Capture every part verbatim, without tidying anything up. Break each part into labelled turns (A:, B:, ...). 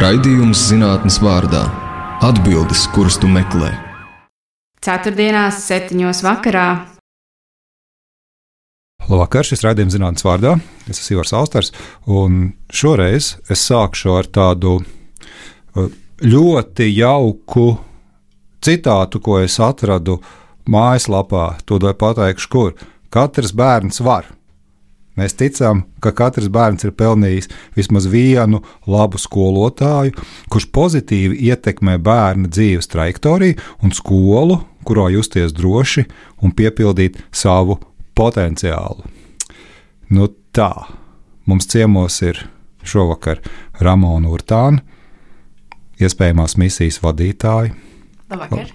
A: Raidījums zinātnes vārdā – atbildes, kuras tu meklē.
B: Ceturtdienās septiņos vakarā.
C: Labvakar, šis raidījums zinātnes vārdā. Es esmu Ivars Austers, un šoreiz es sākšu ar tādu ļoti jauku citātu, ko es atradu mājaslapā. Tūdaļ pateikšu, kur. Katrs bērns var. Mēs ticam, ka katrs bērns ir pelnījis vismaz vienu labu skolotāju, kurš pozitīvi ietekmē bērna dzīves trajektoriju un skolu, kurā justies droši un piepildīt savu potenciālu. Nu tā, mums ciemos ir šovakar Ramona Urtāne, iespējamās misijas vadītāja.
B: Labvakar.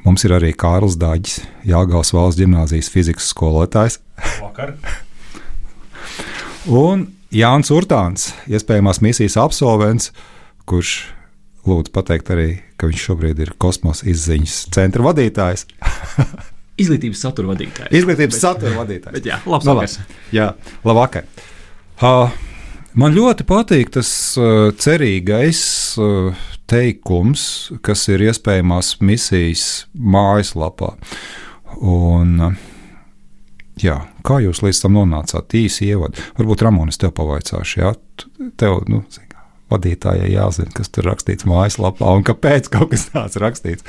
C: Mums ir arī Kārlis Daģis, Jāgavas valsts ģimnāzijas fizikas skolotājs.
D: Labvakar.
C: Un Jānis Urtāns, iespējamās misijas absolvents, kurš lūdzu pateikt arī, ka viņš šobrīd ir kosmosa izziņas centra vadītājs.
D: Izglītības satura vadītājs.
C: Izglītības bet, satura vadītājs.
D: Bet jā, labs
C: no,
D: vakars.
C: Jā, labvakar. Uh, man ļoti patīk tas uh, cerīgais uh, teikums, kas ir iespējamās misijas mājaslapā. Un uh, jā, kā jūs līdz tam nonācāt? Īsi ievadi. Varbūt Ramona, es tev pavaicāšu, jā? Tev, nu, vadītājai jāzina, kas tur rakstīts mājaslapā un kāpēc kaut kas tāds rakstīts.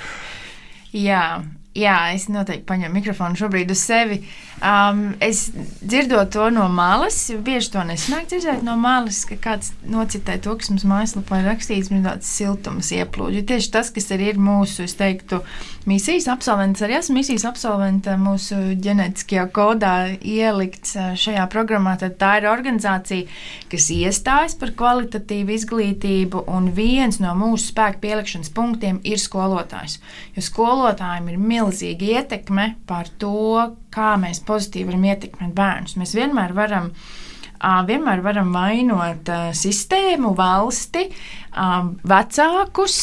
E: Jā, jā, es noteikti paņemu mikrofonu šobrīd uz sevi. Um, es dzirdot to no malas, bieži to nesanāk dzirdēt no malas, ka kāds nocitē to, kas mums mājaslapā ir rakstīts, mums tāds siltums ieplūd. Jo tieši tas, kas arī ir mūsu, es teiktu, misijas absolvents, arī esmu misijas absolventa mūsu ģenētiskajā kodā ielikts šajā programmā, tad tā ir organizācija, kas iestājas par kvalitatīvu izglītību, un viens no mūsu spēku pielikšanas punktiem ir skolotājs. Jo skolotājiem ir milzīga ietekme par to, kā mēs pozitīvi varam ietekmēt bērnus. Mēs vienmēr varam, vienmēr varam vainot sistēmu, valsti, vecākus,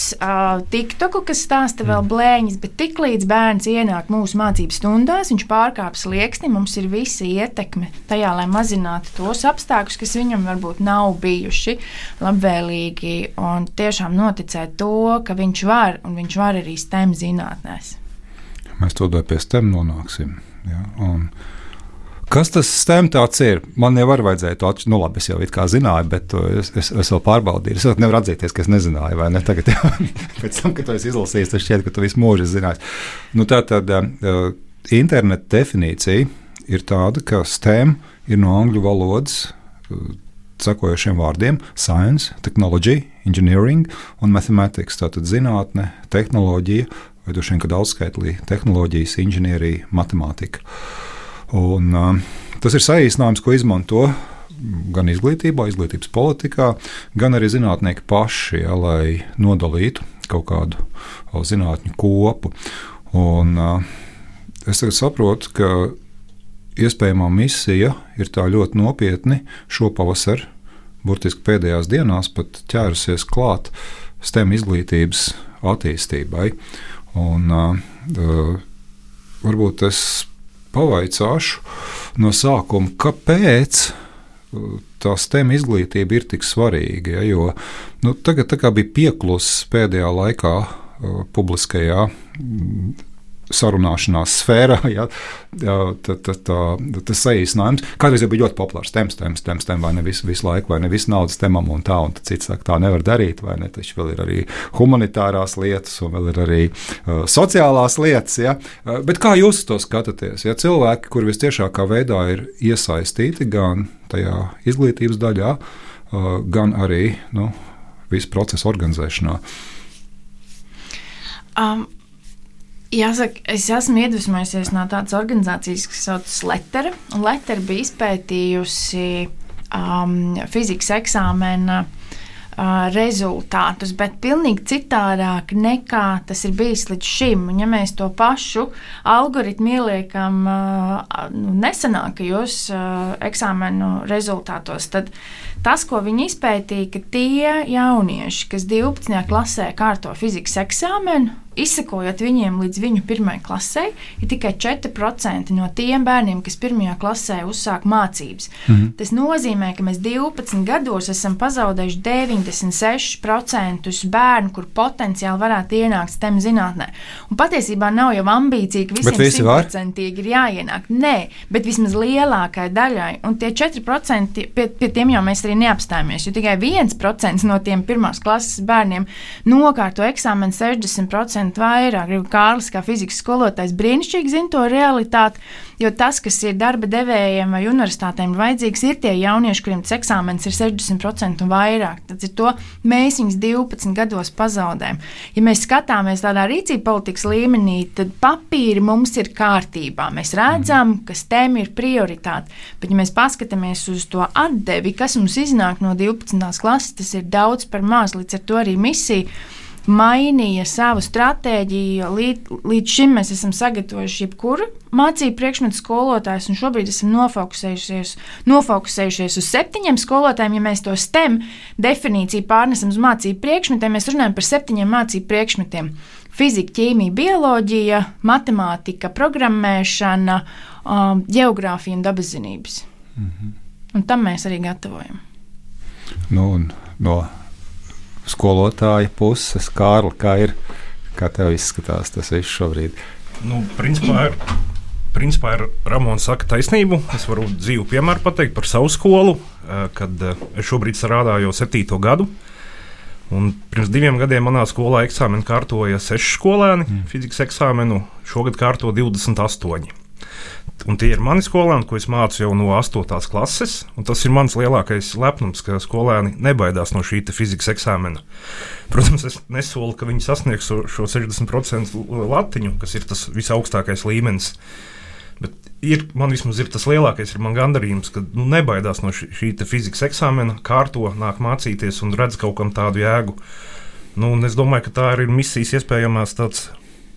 E: TikToku, kas stāsta vēl blēņas, bet tiklīdz bērns ienāk mūsu mācību stundās, viņš pārkāp slieksni, mums ir visa ietekme tajā, lai mazinātu tos apstākļus, kas viņam varbūt nav bijuši labvēlīgi, un tiešām noticēt to, ka viņš var, un viņš var arī STEM zinātnēs.
C: Mēs to dod pie STEM nonāksim. Ja, un kas tas STEM tāds ir? Man jau var vajadzēja to atšķirt, nu labi, es jau it kā zināju, bet es, es, es vēl pārbaudīju. Es vēl nevaru atzīties, ka es nezināju, vai ne? Tagad, ja, pēc tam, kad to es izlasīju, tas šķiet, ka tu visu mūžu zinājis. Nu, tā tad uh, interneta definīcija ir tāda, ka STEM ir no angļu valodas uh, sekojošiem vārdiem science, technology, engineering un mathematics, tātad zinātne, tehnoloģija, vai droši vien, ka daudzskaitlī tehnoloģijas, inženierija, matemātika. Un, uh, tas ir saīsinājums, ko izmanto gan izglītībā, izglītības politikā, gan arī zinātnieki paši, ja, lai nodalītu kaut kādu o, zinātņu kopu. Un, uh, es tagad saprotu, ka iespējamā misija ir tā ļoti nopietni šopavasar, burtiski pēdējās dienās pat ķērusies klāt STEM izglītības attīstībai. Un, uh, varbūt es pavaicāšu no sākuma, kāpēc tā STEM izglītība ir tik svarīga. Ja, jo nu, tagad tā kā bija pieklusis pēdējā laikā uh, publiskajā mm, sarunāšanās sfērā, ja, tas saīsinājums. Kādreiz jau bija ļoti populārs STEM, STEM, STEM, STEM, vai ne visu, visu laiku, vai ne visu naudu STEMam un tā, un cits saka, tā nevar darīt, vai ne, taču vēl ir arī humanitārās lietas, un vēl ir arī uh, sociālās lietas, ja. Uh, bet kā jūs to skatāties? Ja cilvēki, kuri vistiešākā veidā ir iesaistīti gan tajā izglītības daļā, uh, gan arī, nu, visu procesu organizēšanā?
E: Um. Jāsaka, es esmu iedvesmojusies no tādas organizācijas, kas saucas Lettera. Lettera bija izpētījusi um, fizikas eksāmena uh, rezultātus, bet pilnīgi citādāk nekā tas ir bijis līdz šim. Un, ja mēs to pašu algoritmu ieliekam uh, nu, nesenākajos uh, eksāmenu rezultātos, tad tas, ko viņi izpētīja, ka tie jaunieši, kas divpadsmitajā klasē kārto fizikas eksāmenu, izsekojot viņiem līdz viņu pirmajai klasē, ir tikai četri procenti no tiem bērniem, kas pirmajā klasē uzsāk mācības. Mm-hmm. Tas nozīmē, ka mēs divpadsmit gados esam pazaudējuši deviņdesmit seši procenti bērnu, kur potenciāli varētu ienākt STEM zinātnē. Un patiesībā nav jau ambīcija, ka visiem simt procenti ir jāienāk. Nē, bet vismaz lielākai daļai. Un tie četri procenti, pie, pie tiem jau mēs arī neapstājamies, jo tikai viens procents no tiem pirmās klases bērniem nokārto eksāmenu sešdesmit procenti vairāk. Kārlis, kā fizikas skolotājs, brīnišķīgi zina to realitāti, jo tas, kas ir darba devējiem vai universitātēm vajadzīgs, ir tie jaunieši, kuriem tas eksāmens ir sešdesmit procenti un vairāk. Tad ir to mēs viņus divpadsmit gados pazaudējam. Ja mēs skatāmies tādā rīcība politikas līmenī, tad papīri mums ir kārtībā. Mēs redzam, ka STEM ir prioritāte, bet ja mēs paskatāmies uz to atdevi, kas mums iznāk no divpadsmitās klases, tas ir daudz par maz, līdz ar to arī misija mainīja savu stratēģiju. Līdz, līdz šim mēs esam sagatavojuši jebkuru mācību priekšmetu skolotājus, un šobrīd esam nofokusējušies, nofokusējušies uz septiņiem skolotājiem. Ja mēs to STEM definīciju pārnesam uz mācību priekšmetiem, mēs runājam par septiņiem mācību priekšmetiem. Fizika, ķīmija, bioloģija, matemātika, programmēšana, um, ģeogrāfija un dabaszinības. Mm-hmm. Un tam mēs arī gatavojam.
C: Nu, un no skolotāja puses, Kārli, kā ir, kā tev izskatās tas viss šobrīd?
F: Nu, principā ir, principā ir Ramons saka taisnību. Es varu dzīvu piemēru pateikt par savu skolu, kad es šobrīd strādāju jau septīto gadu. Un pirms diviem gadiem manā skolā eksāmenu kārtoja seši skolēni, mm. fizikas eksāmenu, šogad kārto divdesmit astoņi. Un tie ir mani skolēni, ko es mācu jau no astotās klases. Tas ir mans lielākais lepnums, ka skolēni nebaidās no šī fizikas eksāmena. Protams, es nesolu, ka viņi sasniegs šo sešdesmit procentu latiņu, kas ir tas visaugstākais līmenis. Bet ir, man vismaz ir tas lielākais, ir man gandarījums, ka nu, nebaidās no šī, šī fizikas eksāmena, kārto, nāk mācīties un redz kaut kam tādu jēgu. Nu, es domāju, ka tā ir misijas iespējamās tāds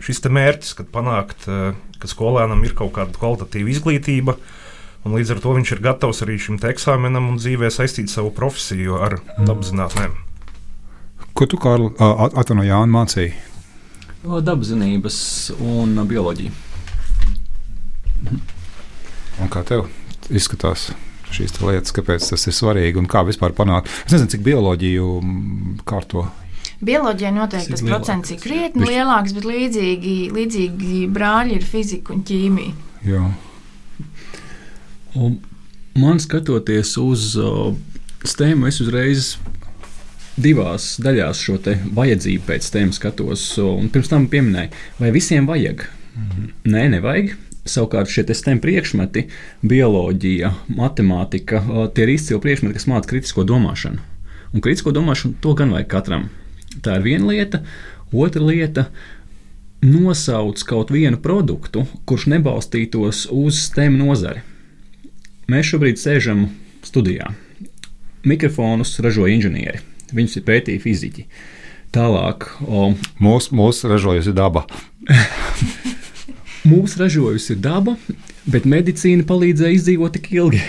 F: šis te mērķis, kad panākt, ka skolēnam ir kaut kāda kvalitatīva izglītība, un līdz ar to viņš ir gatavs arī šim te eksāmenam un dzīvē saistīt savu profesiju ar dabaszinātnēm.
C: Ko tu, Kārli, atvaino Jāni, mācīji?
D: Dabaszinības un bioloģiju.
C: Un kā tev izskatās šīs lietas, kāpēc tas ir svarīgi un kā vispār panākt? Es nezinu, cik bioloģiju kārto.
E: Bioloģijai noteikti tas procents ir krietni lielāks, bet līdzīgi, līdzīgi brāļi ir fizika un ķīmija.
C: Jā.
D: Un man skatoties uz uh, STEM, es uzreiz divās daļās šo te vajadzību pēc STEM skatos. Un pirms tam pieminēju, vai visiem vajag? Mm-hmm. Nē, nevajag. Savukārt šie STEM priekšmeti, bioloģija, matemātika, uh, tie ir izcili priekšmeti, kas māca kritisko domāšanu. Un kritisko domāšanu to gan vajag katram. Tā ir viena lieta. Otra lieta – nosauc kaut vienu produktu, kurš nebalstītos uz STEM nozari. Mēs šobrīd sēžam studijā. Mikrofonus ražo inženieri. Viņus ir pētīja fiziķi. Tālāk o,
C: mūsu mūs ražojusi daba.
D: Mūsu ražojusi daba, bet medicīna palīdzēja izdzīvot tik ilgi.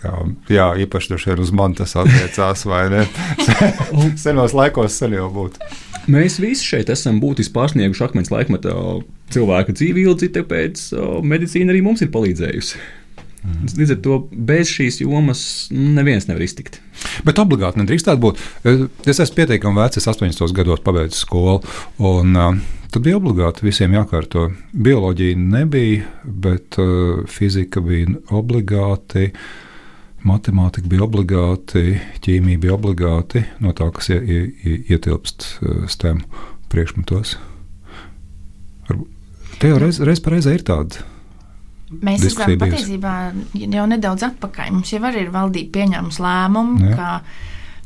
C: Jā, jā, īpaši droši vien uz mani tas attiecās, vai ne? Senos laikos sen jau būtu.
D: Mēs visi šeit esam būtiski pārsnieguši akmens laikmeta cilvēka dzīvi ilgi, tāpēc medicīna arī mums ir palīdzējusi. Mm. Līdz ar to bez šīs jomas neviens nevar iztikt.
C: Bet obligāti nedrīkstētu būt. Es esmu pietiekami vecs, es astoņdesmitos gados pabeidzu skolu, un uh, tad bija obligāti visiem jākārto. Bioloģija nebija, bet uh, fizika bija obligāti. Matemātika bija obligāti, ķīmija bija obligāti, no tā, kas ie, ie, ietilpst STEM priekšmetos. Te jau reiz, reiz pareizē ir tāda
E: Mēs esam patiesībā jau nedaudz atpakaļ. Mums jau arī ir valdība pieņēmusi lēmumu, Jā. ka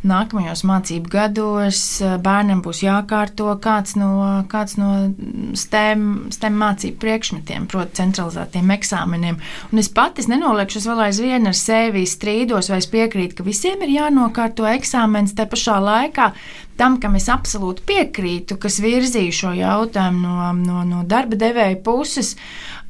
E: nākamajos mācību gados bērnam būs jākārto kāds no, kāds no STEM, STEM mācību priekšmetiem, proti centralizētiem eksāmeniem. Un es pati nenoliekšu, es vēl aizvien ar sevi strīdos, vai es piekrītu, ka visiem ir jānokārto eksāmens, te pašā laikā tam, kam es absolūti piekrītu, kas virzīja šo jautājumu no, no, no darba devēja puses.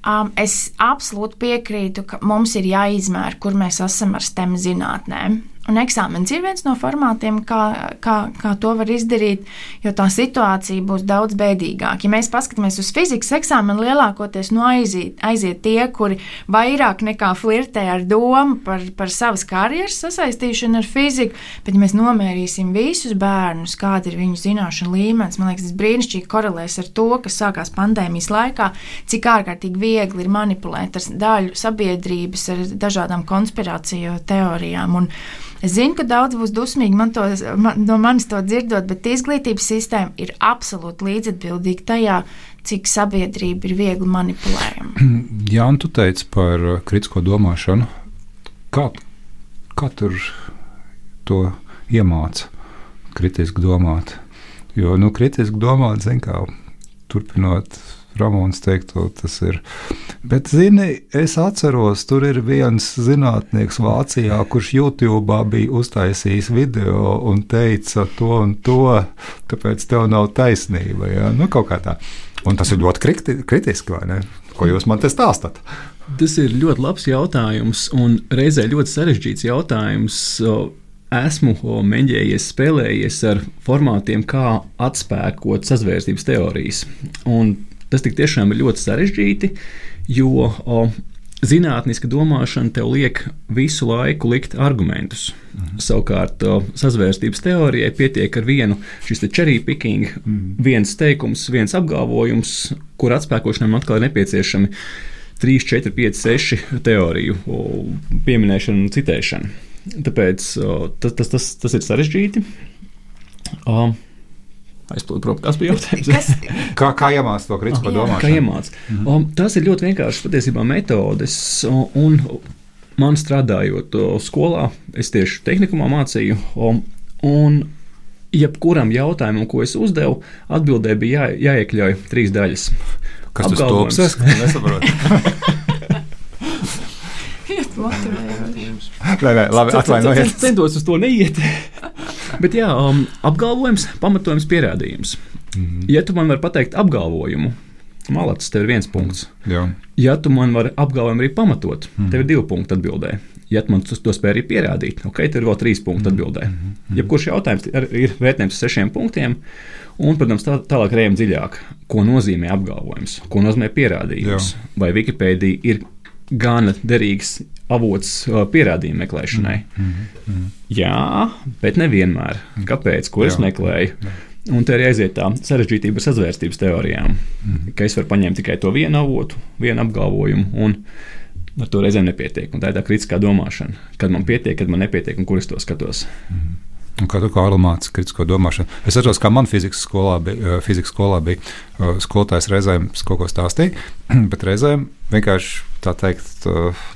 E: Um, es absolūti piekrītu, ka mums ir jāizmēra, kur mēs esam ar STEM zinātnēm. Un eksāmenis ir viens no formātiem, kā, kā, kā to var izdarīt, jo tā situācija būs daudz bēdīgāka. Ja mēs paskatāmies uz fizikas eksāmenu, lielākoties no aiziet, aiziet tie, kuri vairāk nekā flirtē ar domu par, par savas karjeras sasaistīšanu ar fiziku, bet ja mēs nomērīsim visus bērnus, kāda ir viņu zināšanu līmenis, man liekas, tas brīnišķīgi korelēs ar to, kas sākās pandēmijas laikā, cik ārkārtīgi viegli ir manipulēt ar daļu sabiedrības, ar dažādām konspirāciju teorijām. Un es zinu, ka daudz būs dusmīgi man to, man, no manis to dzirdot, bet izglītības sistēma ir absolūti līdzatbildīga tajā, cik sabiedrība ir viegli manipulējama.
C: Jā, un tu teici par kritisko domāšanu. Kā, kā tur to iemāca kritiski domāt? Jo, nu, kritiski domāt, zin kā, turpinot Ramons teikto, tas ir. Bet, zini, es atceros, tur ir viens zinātnieks Vācijā, kurš YouTube bija uztaisījis video un teica to un to, tāpēc tev nav taisnība. Ja? Nu, kaut kā tā. Un tas ir ļoti kriti, kritiski, vai ne? Ko jūs man te stāstat?
D: Tas ir ļoti labs jautājums un reizē ļoti sarežģīts jautājums. Esmu mēģinājies spēlējies ar formātiem, kā atspēkot sazvērstības teorijas. Un tas tik tiešām ir ļoti sarežģīti, jo o, zinātniska domāšana tev liek visu laiku likt argumentus. Mhm. Savukārt o, sazvērstības teorijai pietiek ar vienu šis te cherry picking, mhm. viens teikums, viens apgalvojums, kur atspēkošanai atkal ir nepieciešami trīs, četri, pieci, seši teoriju o, pieminēšana un citēšana. Tāpēc o, tas, tas, tas, tas ir sarežģīti. O, Aizplūdu prom, kas bija jautājums?
E: Kas?
C: Kā, kā iemāc to kritisko domāšanu?
D: Kā iemāc? Mm-hmm. Um, tas ir ļoti vienkāršas patiesībā metodes, un man strādājot skolā, es tieši tehnikumā mācīju, um, un jebkuram jautājumam, ko es uzdevu, atbildē bija jā, jāiekļauj trīs daļas.
C: Kas tas topsies? Nesaprotu. Nē, nē, labi, atvainojiet.
D: Centos uz to neiet. Bet jā, um, apgalvojums, pamatojums, pierādījums. Mm-hmm. Ja tu man vari pateikt apgalvojumu, malacis, tev ir viens punkts.
C: Jā.
D: Ja tu man vari apgalvojumu arī pamatot, mm-hmm. tev ir divi punkti atbildē. Ja tu man to spēj arī pierādīt, ok, tev ir vēl trīs punkti atbildē. Mm-hmm. Jebkurš jautājums ir vērtējums sešiem punktiem, un, protams, tā, tālāk rējam dziļāk, ko nozīmē apgalvojums, ko nozīmē pierādījums. Jā. Vai Wikipēdija ir gana derīgs avots pierādījumu meklēšanai. Mm, mm. Jā, bet nevienmēr. Kāpēc? Ko es jā, meklēju? Jā. Un te arī aiziet tā sarežģītība ar sazvērstības teorijām, mm. ka es varu paņemt tikai to vienu avotu, vienu apgalvojumu, un ar to reizēm nepietiek. Un tā ir tā kritiskā domāšana. Kad man pietiek, kad man nepietiek, un kur es to skatos.
C: Mm. Un kā tu kā māci kritisko domāšanu? Es atceros, kā man fizikas skolā bija, fizikas skolā bija skolotājs reizēm kaut ko stāstīja, bet reizēm vienkārši tā teikt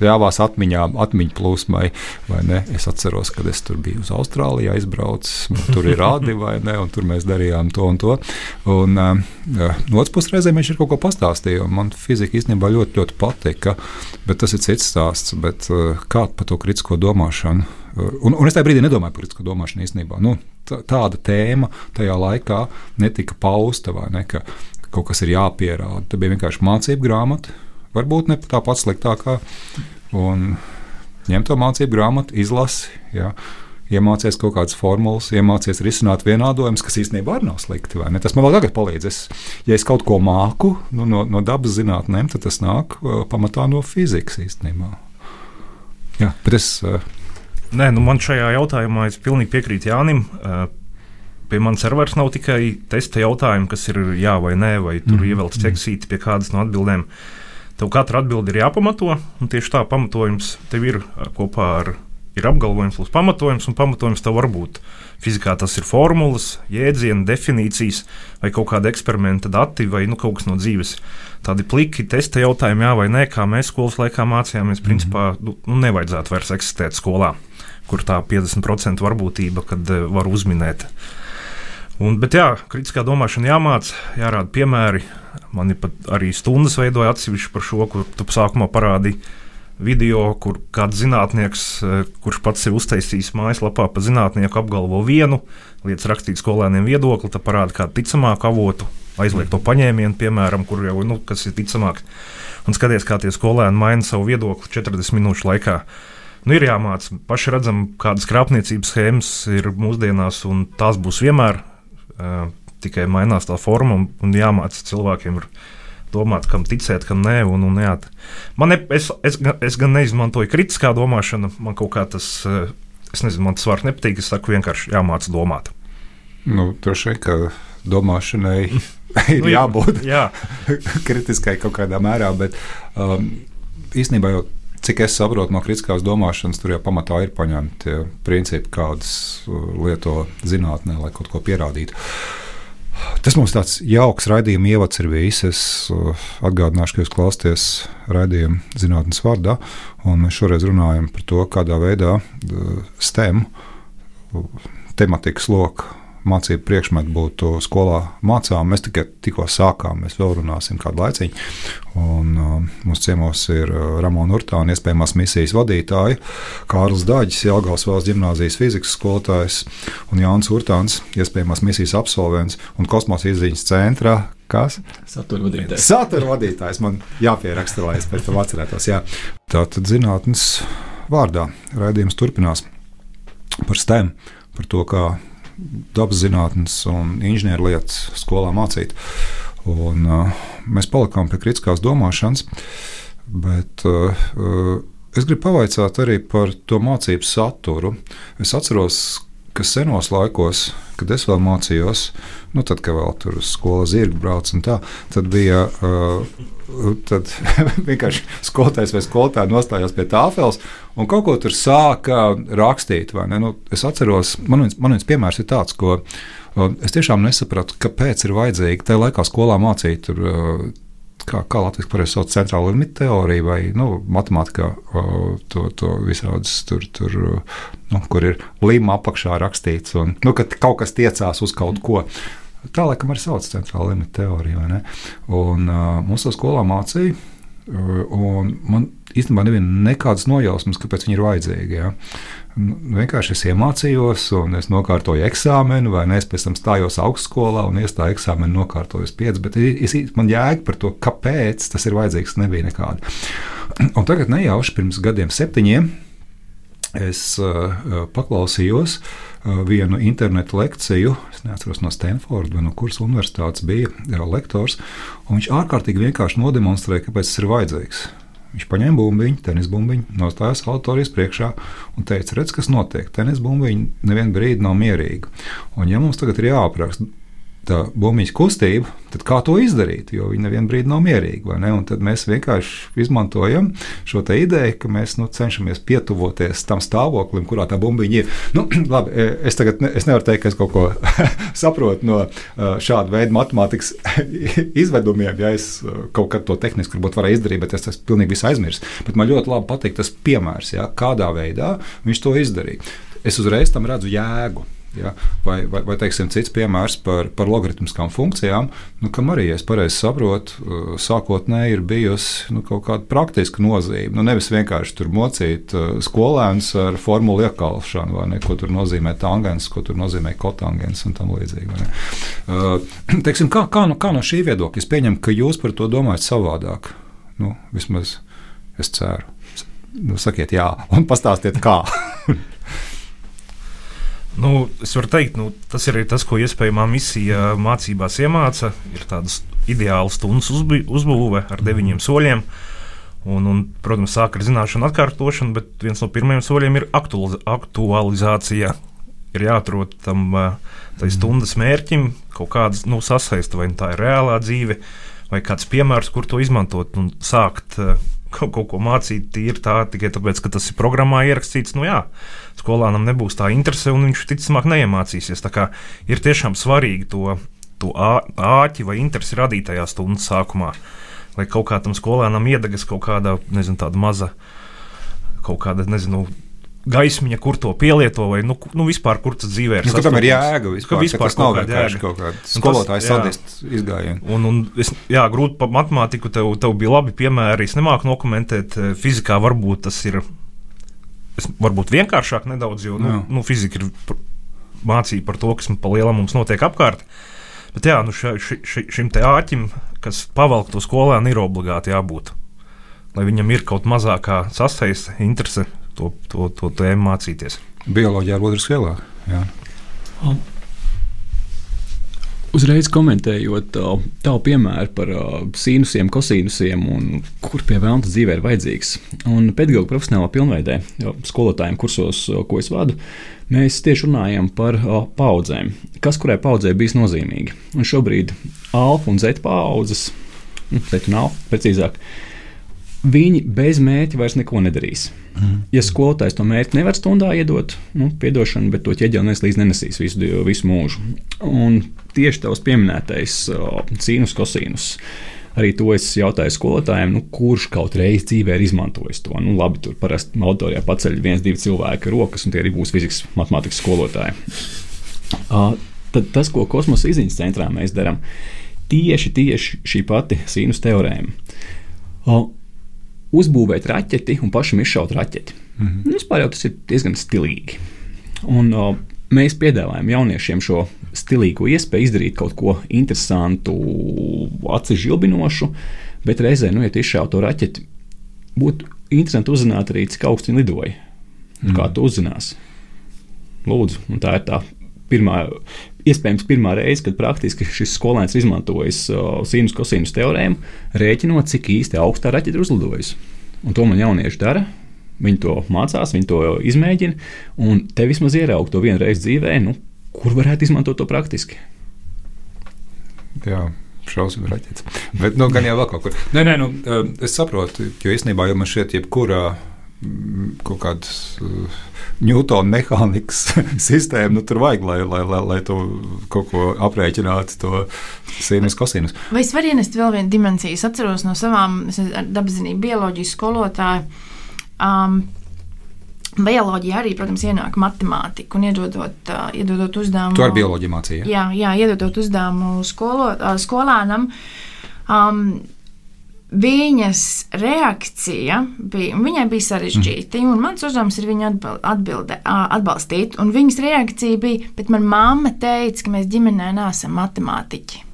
C: ļāvās atmiņām, atmiņu plūsmai, vai ne? Es atceros, kad es tur biju uz Austrāliju aizbraucis, tur ir rādi, vai ne, un tur mēs darījām to un to. Un no otras puses reizēm viņš ir kaut ko pastāstīja, un man fizika īstenībā ļoti, ļoti patika, bet tas ir cits stāsts, bet kā par to kritisko domāšanu? Un, un es tajā brīdī nedomāju par kritisko domāšanu īstenībā. Nu, tā, tāda tēma tajā laikā netika pausta, vai ne, ka kaut kas ir jāpierāda. Tā bija vienkārši mācību grāmata, varbūt ne tā pats sliktākā. Un ņem to mācību grāmatu, izlasi, jā, iemācies kaut kādas formulas, iemācies risināt vienādojumus, kas īstenībā arī nav slikti. Vai ne? Tas man vēl tagad palīdz. Es, ja es kaut ko māku nu, no, no dabas zinātnēm, tad tas nāk pamatā no fizikas īstenībā. Jā, bet es...
F: Nē, nu man šajā jautājumā es pilnīgi piekrītu Jānim. Pie manis arī vairs nav tikai testa jautājumi, kas ir jā vai nē, vai tur mm. ievelc ķeksīti pie kādas no atbildēm. Tev katra atbilde ir jāpamato, un tieši tā pamatojums tev ir kopā ar ir apgalvojums plus pamatojums, un pamatojums tev var būt. Fizikā tas ir formulas, jēdzieni, definīcijas, vai kaut kāda eksperimenta dati, vai nu, kaut kas no dzīves. Tādi pliki, testa jautājumi, jā vai nē, kā mēs skolas laikā mācījāmies, mm-hmm. principā nu, nevajadzētu vairs eksistēt skolā, kur tā piecdesmit procentu varbūtība, kad uh, var uzminēt. Un, bet jā, kritiskā domāšana jāmāc, jārāda piemēri. Man ir pat arī stundas veidoja atsevišķi par šo, kur tu sākumā parādīji video, kur kāds zinātnieks, kurš pats sev uztaisījis mājaslapā pa zinātnieku, apgalvo vienu, lietas rakstīt skolēniem viedokli, tad parāda kādu ticamāku avotu, aizliek to paņēmienu, piemēram, kur jau, nu, kas ir ticamāks. Un skaties, kā tie skolēni maina savu viedokli četrdesmit minūšu laikā. Nu, ir jāmāca. Paši redzam, kādas krāpniecības schēmas ir mūsdienās, un tās būs vienmēr. Uh, tikai mainās tā forma, un, un jāmāca cilvēkiem ir domāt, kam ticēt, kam nē. Un, un, jā. Man ne, es, es, es gan neizmantoju kritiskā domāšanu, man kaut kā tas, uh, es nezinu, man tas vārds nepatīk, es saku vienkārši jāmāca domāt.
C: Nu, droši vien, ka domāšanai ir nu, jābūt
F: jā.
C: kritiskai kaut kādā mērā, bet um, īstenībā jau cik es saprotu no kritiskās domāšanas, tur jau pamatā ir paņemti tie principi, kādas lieto zinātnē, lai kaut ko pierādītu. Tas mums tāds jauks raidījuma ievads ir bijis. Es atgādināšu, ka jūs klausāties raidījumu zinātnes vārdā, un mēs šoreiz runājam par to, kādā veidā STEM tematikas loka mācību priekšmetu būtu skolā mācām. Mēs tikai tikko sākām, mēs vēl runāsim kādu laiciņu. Un, uh, mums ciemos ir uh, Ramona Urtāna, iespējamās misijas vadītāja, Kārlis Daģis, Jelgavas valsts ģimnāzijas fizikas skolotājs, un Jānis Urtāns, iespējamās misijas absolvents un kosmosa izziņas centrā. Kas?
D: Satura vadītājs.
C: Satura vadītājs. Man jāpieraksta, lai es pēc tam atcerētos. Jā. Tātad zinātnes vārdā raidījums turpinās par STEM, par to, kā dabas zinātnes un inženierlietas skolā mācīt. Un, uh, mēs palikām pie kritiskās domāšanas, bet uh, es gribu pavaicāt arī par to mācību saturu. Es atceros, ka senos laikos, kad es vēl mācījos, nu tad, kad vēl tur uz skolu zirgu brauc un tā, tad bija uh, tad vienkārši skolotājs vai skolotāja nostājās pie tāfeles un kaut ko tur sāka rakstīt. Vai ne? Nu, es atceros, man viens, man viens piemērs ir tāds, ko uh, es tiešām nesapratu, kāpēc ir vajadzīgi tajā laikā skolā mācīt tur, uh, kā, kā Latvijas pareizi sauc centrālo limitu teoriju vai nu, matemātikā uh, to, to visādas tur, tur uh, nu, kur ir lima apakšā rakstīts un nu, ka kaut kas tiecās uz kaut ko. Tā laikam arī sauc centrāla limita teorija, vai ne? Un uh, mums to skolā mācīja, uh, un man īstenībā neviena nekādas nojausmas, kāpēc viņi ir vajadzīgi, ja? Vienkārši es iemācījos, un es nokārtoju eksāmenu, vai ne? Es pēc tam stājos augstskolā un iestāju eksāmenu nokārtojos pieci, bet es, man jēga par to, kāpēc tas ir vajadzīgs, nebija nekāda. Un tagad nejauši pirms gadiem septiņiem es uh, paklausījos uh, vienu internetu lekciju, es neatceros no Stanforda vai no kuras universitātes bija jā, lektors, un viņš ārkārtīgi vienkārši nodemonstrēja, kāpēc tas ir vajadzīgs. Viņš paņēma bumbiņu, tenis bumbiņu, nostājās auditorijas priekšā un teica, redz, kas notiek, tenis bumbiņu nevienu brīdi nav mierīga. Un ja mums tagad ir jāapraksta tā bumbiņas kustība, tad kā to izdarīt, jo viņi nevienu brīdi nav mierīgi, vai ne? Un tad mēs vienkārši izmantojam šo te ideju, ka mēs nu, cenšamies pietuvoties tam stāvoklim, kurā tā bumbiņa ir. Nu, labi, es tagad ne, es nevaru teikt, ka es kaut ko saprotu no šāda veida matemātikas izvedumiem, ja es kaut kad to tehniski varbūt varēju izdarīt, bet es tas pilnīgi visu aizmirsu. Bet man ļoti labi patīk tas piemērs, ja, kādā veidā viņš to izdarīja. Es uzreiz tam redzu jēgu. Ja, vai, vai, vai teiksim, cits piemērs par, par logaritmiskām funkcijām, nu, kam arī, ja es pareizi saprotu, sākotnēji ir bijusi nu, kaut kāda praktiska nozīme. Nu, nevis vienkārši tur mocīt skolēnus ar formulu iekalšanu, vai ne, ko tur nozīmē tangens, ko tur nozīmē kotangens un tam līdzīgi. Vai ne. Uh, teiksim, kā, kā, no, kā no šī viedokļa? Es pieņemu, ka jūs par to domājat savādāk. Nu, vismaz es ceru. Nu, sakiet jā un pastāstiet kā.
F: Nu, es varu teikt, nu, tas ir tas, ko iespējamā misija mācībās iemāca. Ir tādas ideālas stundas uzbūve ar deviņiem soļiem. Un, un, protams, sāk ar zināšanu atkārtošanu, bet viens no pirmajiem soļiem ir aktualiz- aktualizācija. Ir jāatrod tam tai stundas mērķim kaut kādas nu, sasaista, vai tā ir reālā dzīve, vai kāds piemērs, kur to izmantot un sākt kaut, kaut ko mācīt tīri tā, tikai tāpēc, ka tas ir programmā ierakstīts. Nu jā, skolānam nebūs tā interese, un viņš ticamāk neiemācīsies. Tā kā ir tiešām svarīgi to, to āķi vai interesi radīt tajā stundas sākumā, lai kaut kā tam skolēnam iedegas kaut kāda, nezinu, tāda maza, kaut kāda, nezinu, gaismiņa, kur to pielieto, vai nu, nu vispār, kur tas dzīvē ir.
C: Nu, tam ir jēga vispār,
F: vispār
C: ka tas nav vienkārši kaut kāda skolotāja sadist izgājienu.
F: Un, un es, jā, grūti par matemātiku, tev, tev bija labi piemēri, es nemāku nokomentēt, fizikā varbūt tas ir, es, varbūt vienkāršāk nedaudz, jo, nu, nu fizika ir mācība par to, kas pa lielam mums notiek apkārt, bet jā, nu ša, ši, ši, šim te āķim, kas pavalk to skolēnu, ir obligāti jābūt, lai viņam ir kaut mazākā sasaiste, interese to, to, to tēmu mācīties.
C: Bioloģija ar otru skolā. Jā.
D: Um. Uzreiz komentējot tavu piemēru par sīnusiem, kosīnusiem un kur pie velna dzīvē ir vajadzīgs. Un pedagoģa profesionālā pilnveidē, skolotājiem kursos, ko es vadu, mēs tieši runājam par paudzēm. Kas kurai paudzē bijis nozīmīgi. Un šobrīd alfa un zeta paudzes, zeta un alfa precīzāk, viņi bez mērķa vairs neko nedarīs. Mm. Ja skolotājs to mērķi nevar stundā iedot, nu, piedošanu, bet to ķieģeli neslīdz nenesīs visu, visu mūžu. Un tieši tavs pieminētais sīnus, kosīnus, arī to es jautāju skolotājiem, nu, kurš kaut reiz dzīvē ir izmantojis to. Nu, labi, tur parasti auditorijā paceļ viens, divi cilvēki rokas, un tie arī būs fizikas, matemātikas skolotāji. Uh, tad tas, ko kosmosa izziņas centrā mēs darām, tieši, tieši šī pati sīnus teorēma. Uh, uzbūvēt raķeti un pašam izšaut raķeti. Mm-hmm. Vispār jau tas ir diezgan stilīgi. Un uh, mēs piedāvājam jauniešiem šo stilīgo iespēju izdarīt kaut ko interesantu, acis žilbinošu, bet reizē, nu, ja tu izšaut to raķeti, būtu interesanti uzzināt arī, cik augstu viņi lidoja. Mm-hmm. Kā tu uzzināsi? Lūdzu, un tā ir tā pirmā, iespējams pirmā reize, kad praktiski šis skolēns izmantojas uh, sīnus, kosīnus teorēmu, rēķinot, cik īsti augstā raķete ir uzlidojusi. Un to man jaunieši dara. Viņi to mācās, viņi to izmēģina, un te vismaz ieraug to vienu reizi dzīvē, nu, kur varētu izmantot to praktiski.
C: Jā, šausmas raķetes. Bet, nu, gan jau vēl kaut kur. Nē, nē, nu, es saprotu, jo īstenībā jau man šķiet, jebkurā kaut kādas Ņūtona mehānikas sistēma, nu, tur vajag, lai, lai, lai, lai tu kaut ko aprēķinātu, to sīnus, kosinus.
E: Vai es varu ienest vēl vienu dimensiju? Es atceros no savām dabaszinību bioloģijas skolotāju. Um, bioloģija arī, protams, ienāk matemātika un iedodot, uh, iedodot uzdevumu.
C: Tu ar bioloģiju mācīji?
E: Jā, jā, iedodot uzdevumu skolo, uh, skolānam. Um, Viņas reakcija bija, viņai bija sarežģīta, un mans uzdevums ir viņu atbilde, atbalstīt. Un viņas reakcija bija, bet man mamma teica, ka mēs ģimenē neesam matemātiķi.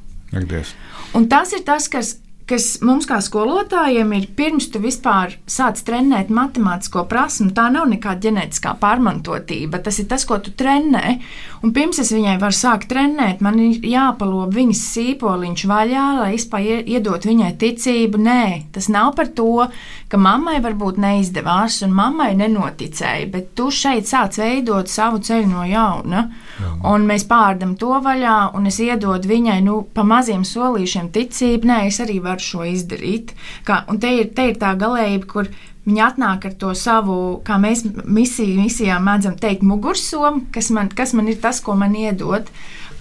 C: Akdies.
E: Un tas ir tas, kas, kas mums kā skolotājiem ir pirms tu vispār sāc trenēt matemātisko prasmu. Tā nav nekāda ģenētiskā pārmantotība, tas ir tas, ko tu trenē. Un pirms es viņai varu sākt trenēt, man ir jāpalob viņas sīpoliņš vaļā, lai vispār iedot viņai ticību. Nē, tas nav par to, ka mammai varbūt neizdevās un mammai nenoticēja, bet tu šeit sāc veidot savu ceļu no jauna. Jā. Un mēs pārdam to vaļā, un es iedodu viņai, nu, pa maziem solīšiem ticību. Nē, es arī varu šo izdarīt. Kā, un te ir, te ir tā galējība, kur viņi atnāk ar to savu, kā mēs misiju, misijā mēdzam teikt, mugursomu, kas man, kas man ir tas, ko man iedod.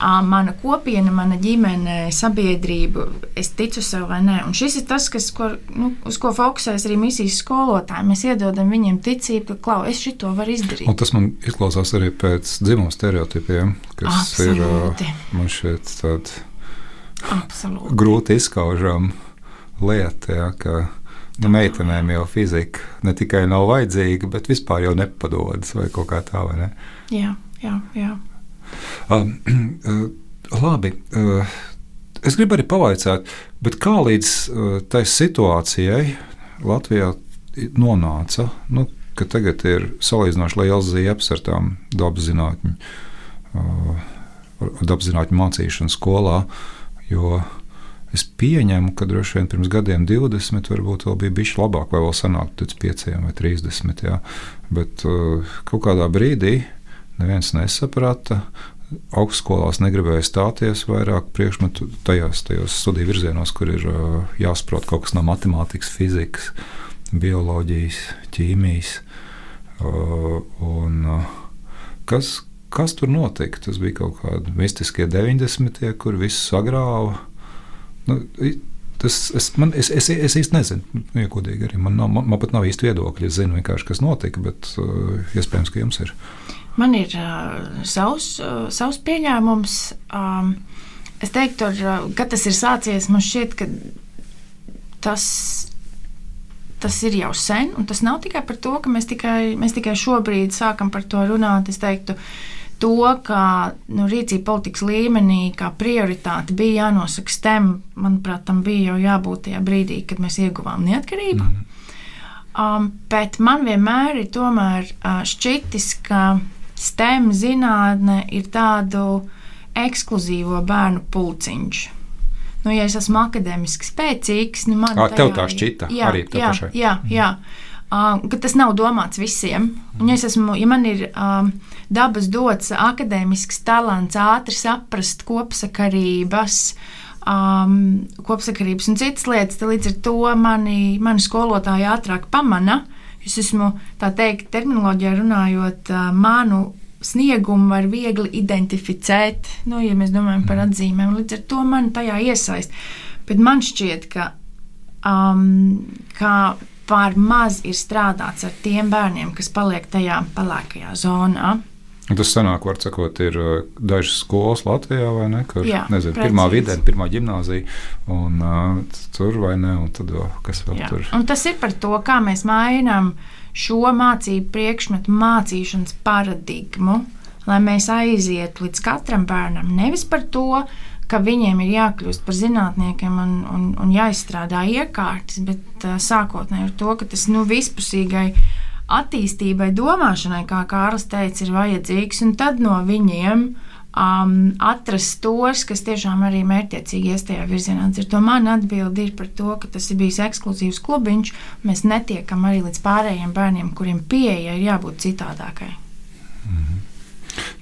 E: Mana kopiena, mana ģimene, sabiedrība, es ticu sev vai nē. Un šis ir tas, kas, ko, nu, uz ko fokusēs arī misijas skolotāji. Mēs iedodam viņiem ticību, ka, klau, es šito varu izdarīt.
C: Un tas man izklausās arī pēc dzimuma stereotipiem, kas
E: Absolūti.
C: Ir, man šeit tāda
E: Absolūti.
C: grūti izskaužama lieta, ja, ka nu, meitenēm jau fizika ne tikai nav vajadzīga, bet vispār jau nepadodas vai kaut kā tā, vai ne?
E: Jā, jā, jā.
C: Uh, uh, labi, uh, es gribu arī pavaicāt, bet kā līdz uh, tai situācijai Latvijā nonāca, nu, ka tagad ir salīdzinoši liels ziepes ar tām dabaszinātņu, uh, dabaszinātņu mācīšanu skolā, jo es pieņemu, ka droši vien pirms gadiem divdesmit varbūt vēl bija bišķi labāk, vai vēl sanāk pēc pieciem vai trīsdesmit, jā. Bet uh, kaut kādā brīdī neviens nesaprata, augstskolās negribēja stāties vairāk priekšmetu tajās, tajos studiju virzienos, kur ir uh, jāsaprot kaut kas no matemātikas, fizikas, bioloģijas, ķīmijas. Uh, un uh, kas, kas tur notika? Tas bija kaut kādi mistiskie deviņdesmitie, kur viss sagrāva. Nu, tas, es, man, es, es, es īsti nezinu, iekodīgi arī. Man, nav, man, man pat nav īsti viedokļi. Es zinu vienkārši, kas notika, bet uh, iespējams, ka jums ir.
E: Man ir uh, savs, uh, savs pieņēmums. Um, es teiktu, ar, uh, kad tas ir sācies, man šķiet, ka tas, tas ir jau sen. Un tas nav tikai par to, ka mēs tikai, mēs tikai šobrīd sākam par to runāt. Es teiktu, to, ka nu, rīcība politikas līmenī kā prioritāte bija jānosaka S T E M, manuprāt, tam bija jau jābūt tajā brīdī, kad mēs ieguvām neatkarību. Mm. Um, bet man vienmēr ir tomēr uh, šķitis, ka STEM zinātne ir tādu ekskluzīvo bērnu pulciņš. Nu, ja es esmu akadēmiski spēcīgs, nu man
C: Ā, tev
E: tajā
C: tā
E: ir-
C: šķita
E: jā,
C: arī tev
E: jā,
C: pašai.
E: jā, jā. Uh, ka tas nav domāts visiem. Un, ja, es esmu, ja man ir um, dabas dots akadēmisks talants, ātri saprast kopsakarības, um, kopsakarības un citas lietas, tad līdz ar to mani, mani skolotāji ātrāk pamana. Es esmu, tā teikt, terminoloģijā runājot, uh, manu sniegumu var viegli identificēt, nu, ja mēs domājam par atzīmēm, līdz ar to man tajā iesaist. Bet man šķiet, ka, um, ka par maz ir strādāts ar tiem bērniem, kas paliek tajā pelēkajā zonā.
C: Un tas sanāk, var sakot, ir uh, dažas skolas Latvijā, vai ne? Kur,
E: Jā,
C: nezinu,
E: precīzi.
C: pirmā vidē, pirmā ģimnāzija, un uh, tur vai ne, un tad vēl, kas vēl
E: Jā.
C: tur.
E: Un tas ir par to, kā mēs mainām šo mācību priekšmetu mācīšanas paradigmu, lai mēs aizietu līdz katram bērnam. Nevis par to, ka viņiem ir jākļūst par zinātniekiem un, un, un jāizstrādā iekārtas, bet uh, sākotnēji ar to, ka tas nu, vispusīgai attīstībai, domāšanai, kā Kārlis teica, ir vajadzīgs, un tad no viņiem um, atrast tos, kas tiešām arī mērķiecīgi ies tajā virzienā. Ar to man atbildi ir par to, ka tas ir bijis ekskluzīvs klubiņš, un mēs netiekam arī līdz pārējiem bērniem, kuriem pieeja ir jābūt citādākai.
C: Mhm.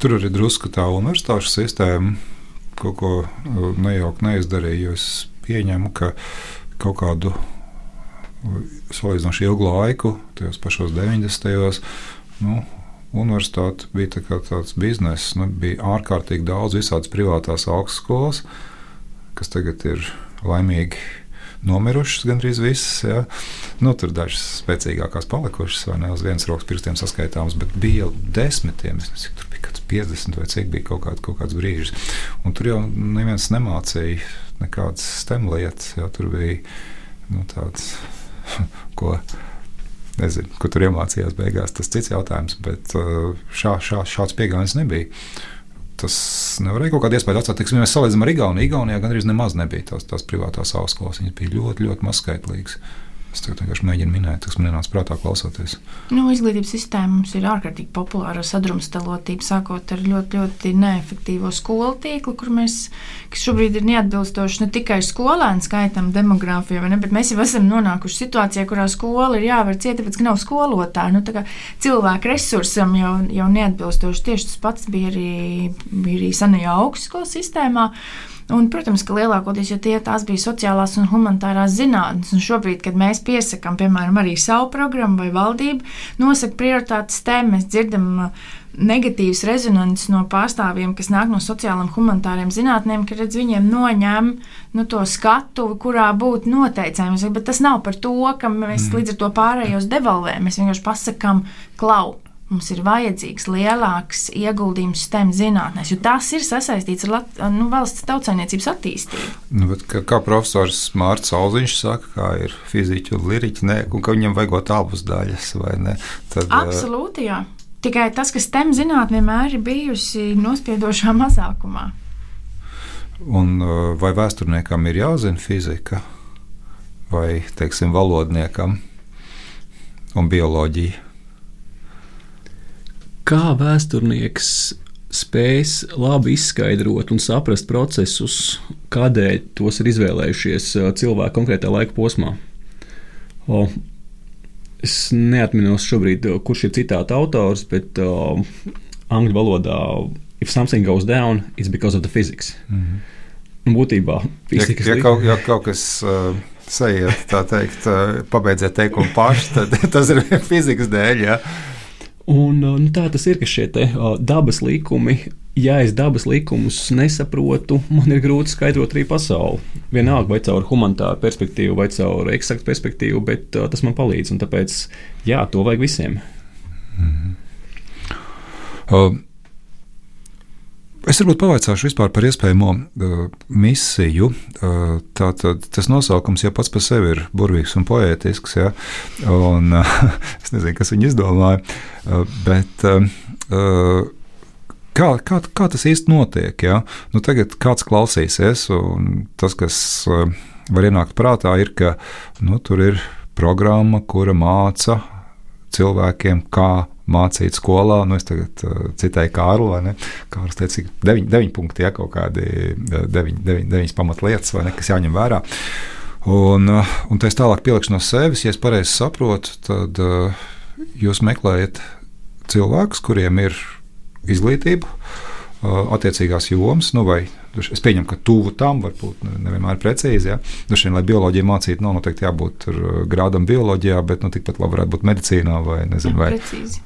C: Tur arī drusku tā universitāšu sistēma kaut ko nejaukt neizdarīja, jo es pieņemu, ka kaut kādu salīdzinoši ilgu laiku, tajos pašos deviņdesmitajos, nu, universitāte bija tā kā tāds bizness, nu, bija ārkārtīgi daudz visādas privātās augstskolas, kas tagad ir laimīgi nomirušas gandrīz visas, ja. Nu, tur dažas spēcīgākās palikušas, vai ne, uz vienas rokas pirkstiem saskaitāmas, bet bija jau desmitiem, es nezinu, tur bija kāds piecdesmit vai cik bija kaut, kād, kaut kāds brīžs. Un tur jau neviens nemācīja nekādas STEM lietas, ja, tur bija, nu, tāds, ko, nezinu, ko tur iemācījās beigās, tas cits jautājums, bet šā, šā, šāds pieejams nebija. Tas nevarēja kaut kādu iespēju atstāt. Tiksim, ja mēs salīdzinām ar Igauniju, Igaunijā gandrīz nemaz nebija tās, tās privātās augstskolas. Viņas bija ļoti, ļoti mazskaitlīgas. Es tagad vienkārši mēģinu minēt, kas man ienāca prātā klausoties.
E: Nu, izglītības sistēma mums ir ārkārtīgi populāra sadrumstalotība, sākot ar ļoti, ļoti neefektīvo skolu tīklu, kur mēs, kas šobrīd ir neatbilstoši ne tikai skolēnu skaitam demogrāfijā, vai ne, bet mēs jau esam nonākuši situācijā, kurā skola ir jāvar ciet, tāpēc, ka nav skolotāji. Nu, tā kā cilvēku resursam jau, jau neatbilstoši. Tieši tas pats bija arī, bija arī senajā augstskolas sistēmā. Un, protams, ka lielākoties, ja tie tās bija sociālās un humanitārās zinātnes, un šobrīd, kad mēs piesakām, piemēram, arī savu programmu vai valdību, nosaka prioritātes STEM, mēs dzirdam negatīvas rezonances no pārstāvjiem, kas nāk no sociālām humanitāriem zinātnēm, ka redz viņiem noņem nu, to skatuvi, kurā būtu noteicējums, bet tas nav par to, ka mēs līdz ar to pārējos devalvējam, mēs vienkārši pasakām, klau. Mums ir vajadzīgs lielāks ieguldījums STEM zinātnēs, jo tas ir sasaistīts ar Lat- nu, valsts tautsaimniecības attīstību.
C: Nu, bet, kā, kā profesors Mārcis Auziņš saka, kā ir fiziķi un liriķi, ne, un ka viņam vajagot abas daļas, vai ne? Tad,
E: Absolūti, jā. Tikai tas, ka STEM zinātne vienmēr ir bijusi nospiedošā mazākumā.
C: Un vai vēsturniekam ir jāzina fizika, vai, teiksim, valodniekam un bioloģija?
D: Kā vēsturnieks spēs labi izskaidrot un saprast procesus, kādēļ tos ir izvēlējušies cilvēki konkrētā laika posmā? O, es neatminos šobrīd, kurš ir citāta autors, bet o, angļu valodā if something goes down, it's because of the physics. Mm-hmm. Būtībā fizikas
C: ja, ja, kaut, ja kaut kas uh, sajiet, tā teikt, uh, pabeidziet teikumu paši, tad tas ir fizikas dēļ, ja?
D: Un, nu, tā tas ir, ka šie te, uh, dabas likumi, ja es dabas likumus nesaprotu, man ir grūti skaidrot arī pasauli. Vienalga vai caur humanitāru perspektīvu, vai caur eksaktu perspektīvu, bet uh, tas man palīdz. Un tāpēc, jā, to vajag visiem.
C: Mm-hmm. Uh, es varbūt pavaicāšu vispār par iespējamo uh, misiju. Uh, tātad tas nosaukums jau pats par sevi ir burvīgs un poētisks, ja? Un uh, es nezinu, kas viņu izdomāja, uh, bet uh, uh, kā, kā, kā tas īsti notiek? Ja? Nu, tagad kāds klausīsies, un tas, kas uh, var ienākt prātā, ir, ka nu, tur ir programma, kura māca cilvēkiem, kā mācīt skolā. Nu, es tagad uh, citēju Kārlu, vai ne? Kārlis teica, ka deviņi, deviņi punkti, ja, kaut kādi deviņi, deviņi, deviņas pamatlietas, vai ne, kas jāņem vērā. Un, uh, un tā es tālāk pielikšu no sevis, ja es pareizi saprotu, tad uh, jūs meklējat cilvēkus, kuriem ir izglītība, uh, attiecīgās jomas, nu vai es pieņemu, ka tuvu tam varbūt nevienmēr precīzi. Ja? Dušien, lai bioloģiju mācītu, nav noteikti jābūt grādam bioloģijā, bet nu, tikpat labi varētu būt medicīnā vai, nezinu, vai,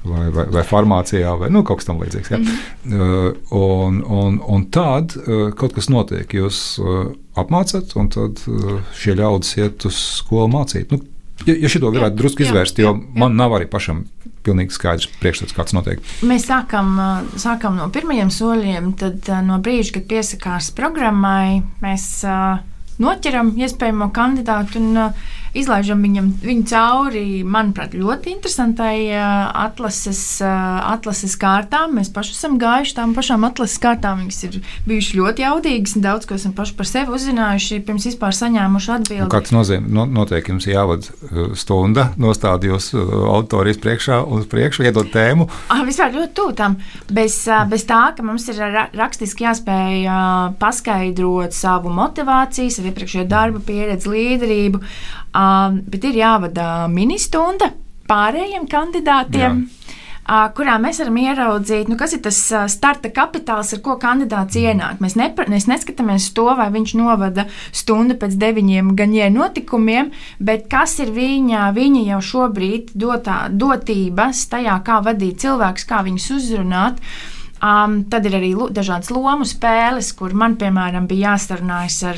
C: vai, vai, vai farmācijā vai nu, kaut kas tam līdzīgs. Ja? Mm-hmm. Uh, un, un, un tad uh, kaut kas notiek, jūs uh, apmācat, un tad uh, šie ļaudis iet uz skolu mācīt. Nu, ja, ja šito varētu jā, drusku izvērst, jā, jo jā. Man nav arī pašam pilnīgi skaidrs priekšstats, kāds notiek.
E: Mēs sākam, sākam no pirmajiem soļiem, tad no brīža, kad piesakās programmai, mēs uh, noķeram iespējamo kandidātu un uh, izlaižam viņam, viņu cauri, manuprāt, ļoti interesantai uh, atlases, uh, atlases kārtām. Mēs paši esam gājuši tām pašām atlases kārtām. Viņas ir bijušas ļoti jaudīgas un daudz ko esam paši par sevi uzzinājuši, pirms vispār saņēmuši atbildi.
C: Kāds nozīme, no, notiek jums jāvada stunda, nostāda jūs auditorijas priekšā un uz priekšu, iedod tēmu?
E: Ah, vispār ļoti tūtam. Bez, bez tā, ka mums ir ra- rakstiski jāspēj uh, paskaidrot savu motivāciju, savu iepriekšējo darba pieredzi, līderību, uh, bet ir jāvada ministunda pārējiem kandidātiem. Jā. Kurā mēs varam ieraudzīt, nu, kas ir tas starta kapitāls, ar ko kandidāts ienāk. Mēs, nepra, mēs neskatāmies to, vai viņš novada stundu pēc deviņiem gaņie notikumiem, bet kas ir viņa, viņa jau šobrīd dotā, dotības tajā, kā vadīt cilvēkus, kā viņus uzrunāt. Um, tad ir arī dažādas lomu spēles, kur man, piemēram, bija jāsarunājas ar,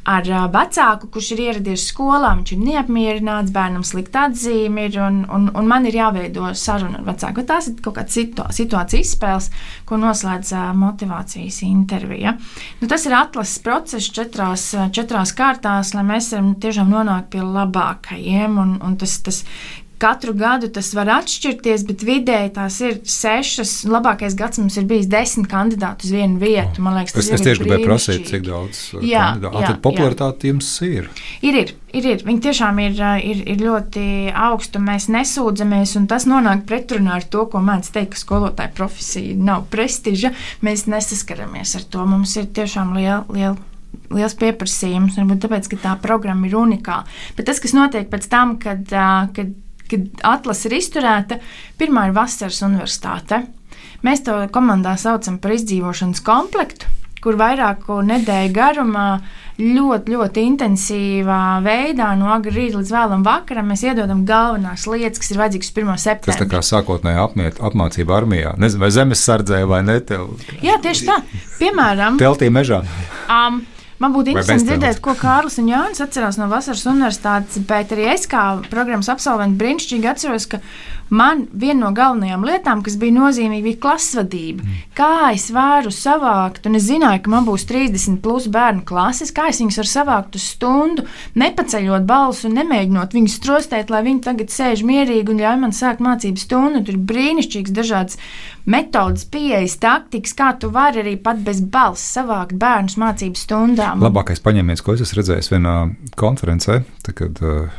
E: ar vecāku, kurš ir ieradies skolā, viņš ir neapmierināts, bērnam slikta atzīme ir, un, un, un man ir jāveido saruna ar vecāku. Tās ir kaut kādas situ, situācijas izspēles, ko noslēdz motivācijas intervija. Nu, tas ir atlases process četrās, četrās kārtās, lai mēs varam tiešām nonākt pie labākajiem, un, un tas, tas katru gadu tas var atšķirties, bet vidēji tās ir sešas. Labākais gads mums ir bijis desmit kandidāti uz vienu vietu. Man liekas, tas
C: es,
E: ir
C: es tieši gribēju prasīt, cik daudz jā, kandidātu. Jā, tad popularitāte jums ir?
E: Ir, ir, ir, ir. Viņi tiešām ir, ir, ir ļoti augstu. Mēs nesūdzamies, un tas nonāk pretrunā ar to, ko mēdz teikt, ka skolotāja profesija nav prestiža. Mēs nesaskaramies ar to. Mums ir tiešām liela, liela liels pieprasījums, varbūt tāpēc, ka tā programma ir unikāla. Bet tas, kas notiek pēc tam, kad, kad kad atlase ir izturēta, pirmā ir vasaras universitāte. Mēs to komandā saucam par izdzīvošanas komplektu, kur vairāku nedēļu garumā ļoti, ļoti intensīvā veidā no agra rīta līdz vēlam vakaram mēs iedodam galvenās lietas, kas ir vajadzīgas pirmā septembrī.
C: Tas tā kā sākotnēji apmiet, apmācība armijā. Nezinu, vai zemes sardzē vai ne? Tev...
E: Jā, tieši tā. Piemēram.
C: Teltī mežā.
E: Um, Man būtu interesanti dzirdēt, ko Kārlis un Jānis atcerās no vasaras universitātes, bet arī es kā programmas absolventi brīnišķīgi atceros, ka man viena no galvenajām lietām, kas bija nozīmīga, bija klasvadība. Mm. Kā es varu savākt, un es zināju, ka man būs trīsdesmit plus bērnu klases, kā es viņus varu savākt uz stundu, nepaceļot balsu un nemēģinot viņus strostēt, lai viņi tagad sēž mierīgi un ļauj man sākt mācību stundu. Tur ir brīnišķīgs dažādas metodas, pieejas, taktikas, kā tu vari arī pat bez balss savākt bērnus mācību stundām.
C: Labākais paņēmiens, ko es esmu redzējis vienā konferencē, tad, kad uh,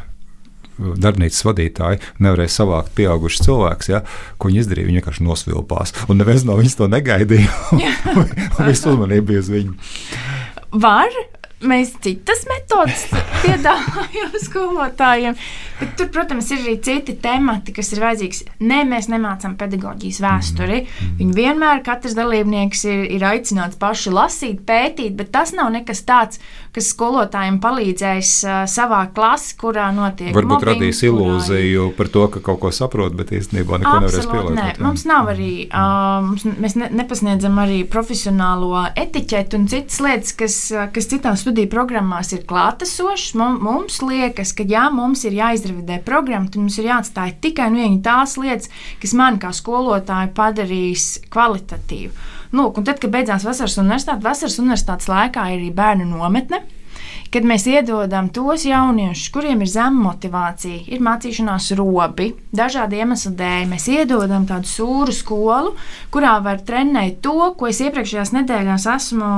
C: darbnīcas vadītāji nevarēja savākt pieaugušus cilvēkus, ja, ko viņi izdarīja, viņi vienkārši nosvilpās, un neviens no viņus to negaidīja, un, un visu uzmanību bija uz viņu.
E: Var? Mēs citas metodas piedāvājam skolotājiem, bet tur, protams, ir arī citi temati, kas ir vajadzīgs. Nē, mēs nemācām pedagoģijas vēsturi. Viņi vienmēr, katrs dalībnieks ir, ir aicināts paši lasīt, pētīt, bet tas nav nekas tāds, kas skolotājiem palīdzēs uh, savā klasi, kurā notiek
C: varbūt
E: mobbing.
C: Varbūt radīs ilūziju par to, ka kaut ko saprot, bet īstenībā neko nevarēs pielāgot.
E: Nē, mums nav arī, uh, mums, mēs ne, nepasniedzam arī profesionālo etiķetu un citas lietas, kas, kas citās studiju programmās ir klātesošas. Mums liekas, ka jā, mums ir jāizrevidē programma, tad mums ir jāatstāj tikai un vienīgi tās lietas, kas man kā skolotāju padarīs kvalitatīvu. Lūk, un tad, kad beidzās vasaras universitāte, vasaras universitātes laikā ir arī bērnu nometne, kad mēs iedodam tos jauniešus, kuriem ir zema motivācija, ir mācīšanās robi, dažādi iemesli dēļ. Mēs iedodam tādu sūru skolu, kurā var trenēt to, ko es iepriekšējās nedēļās esmu,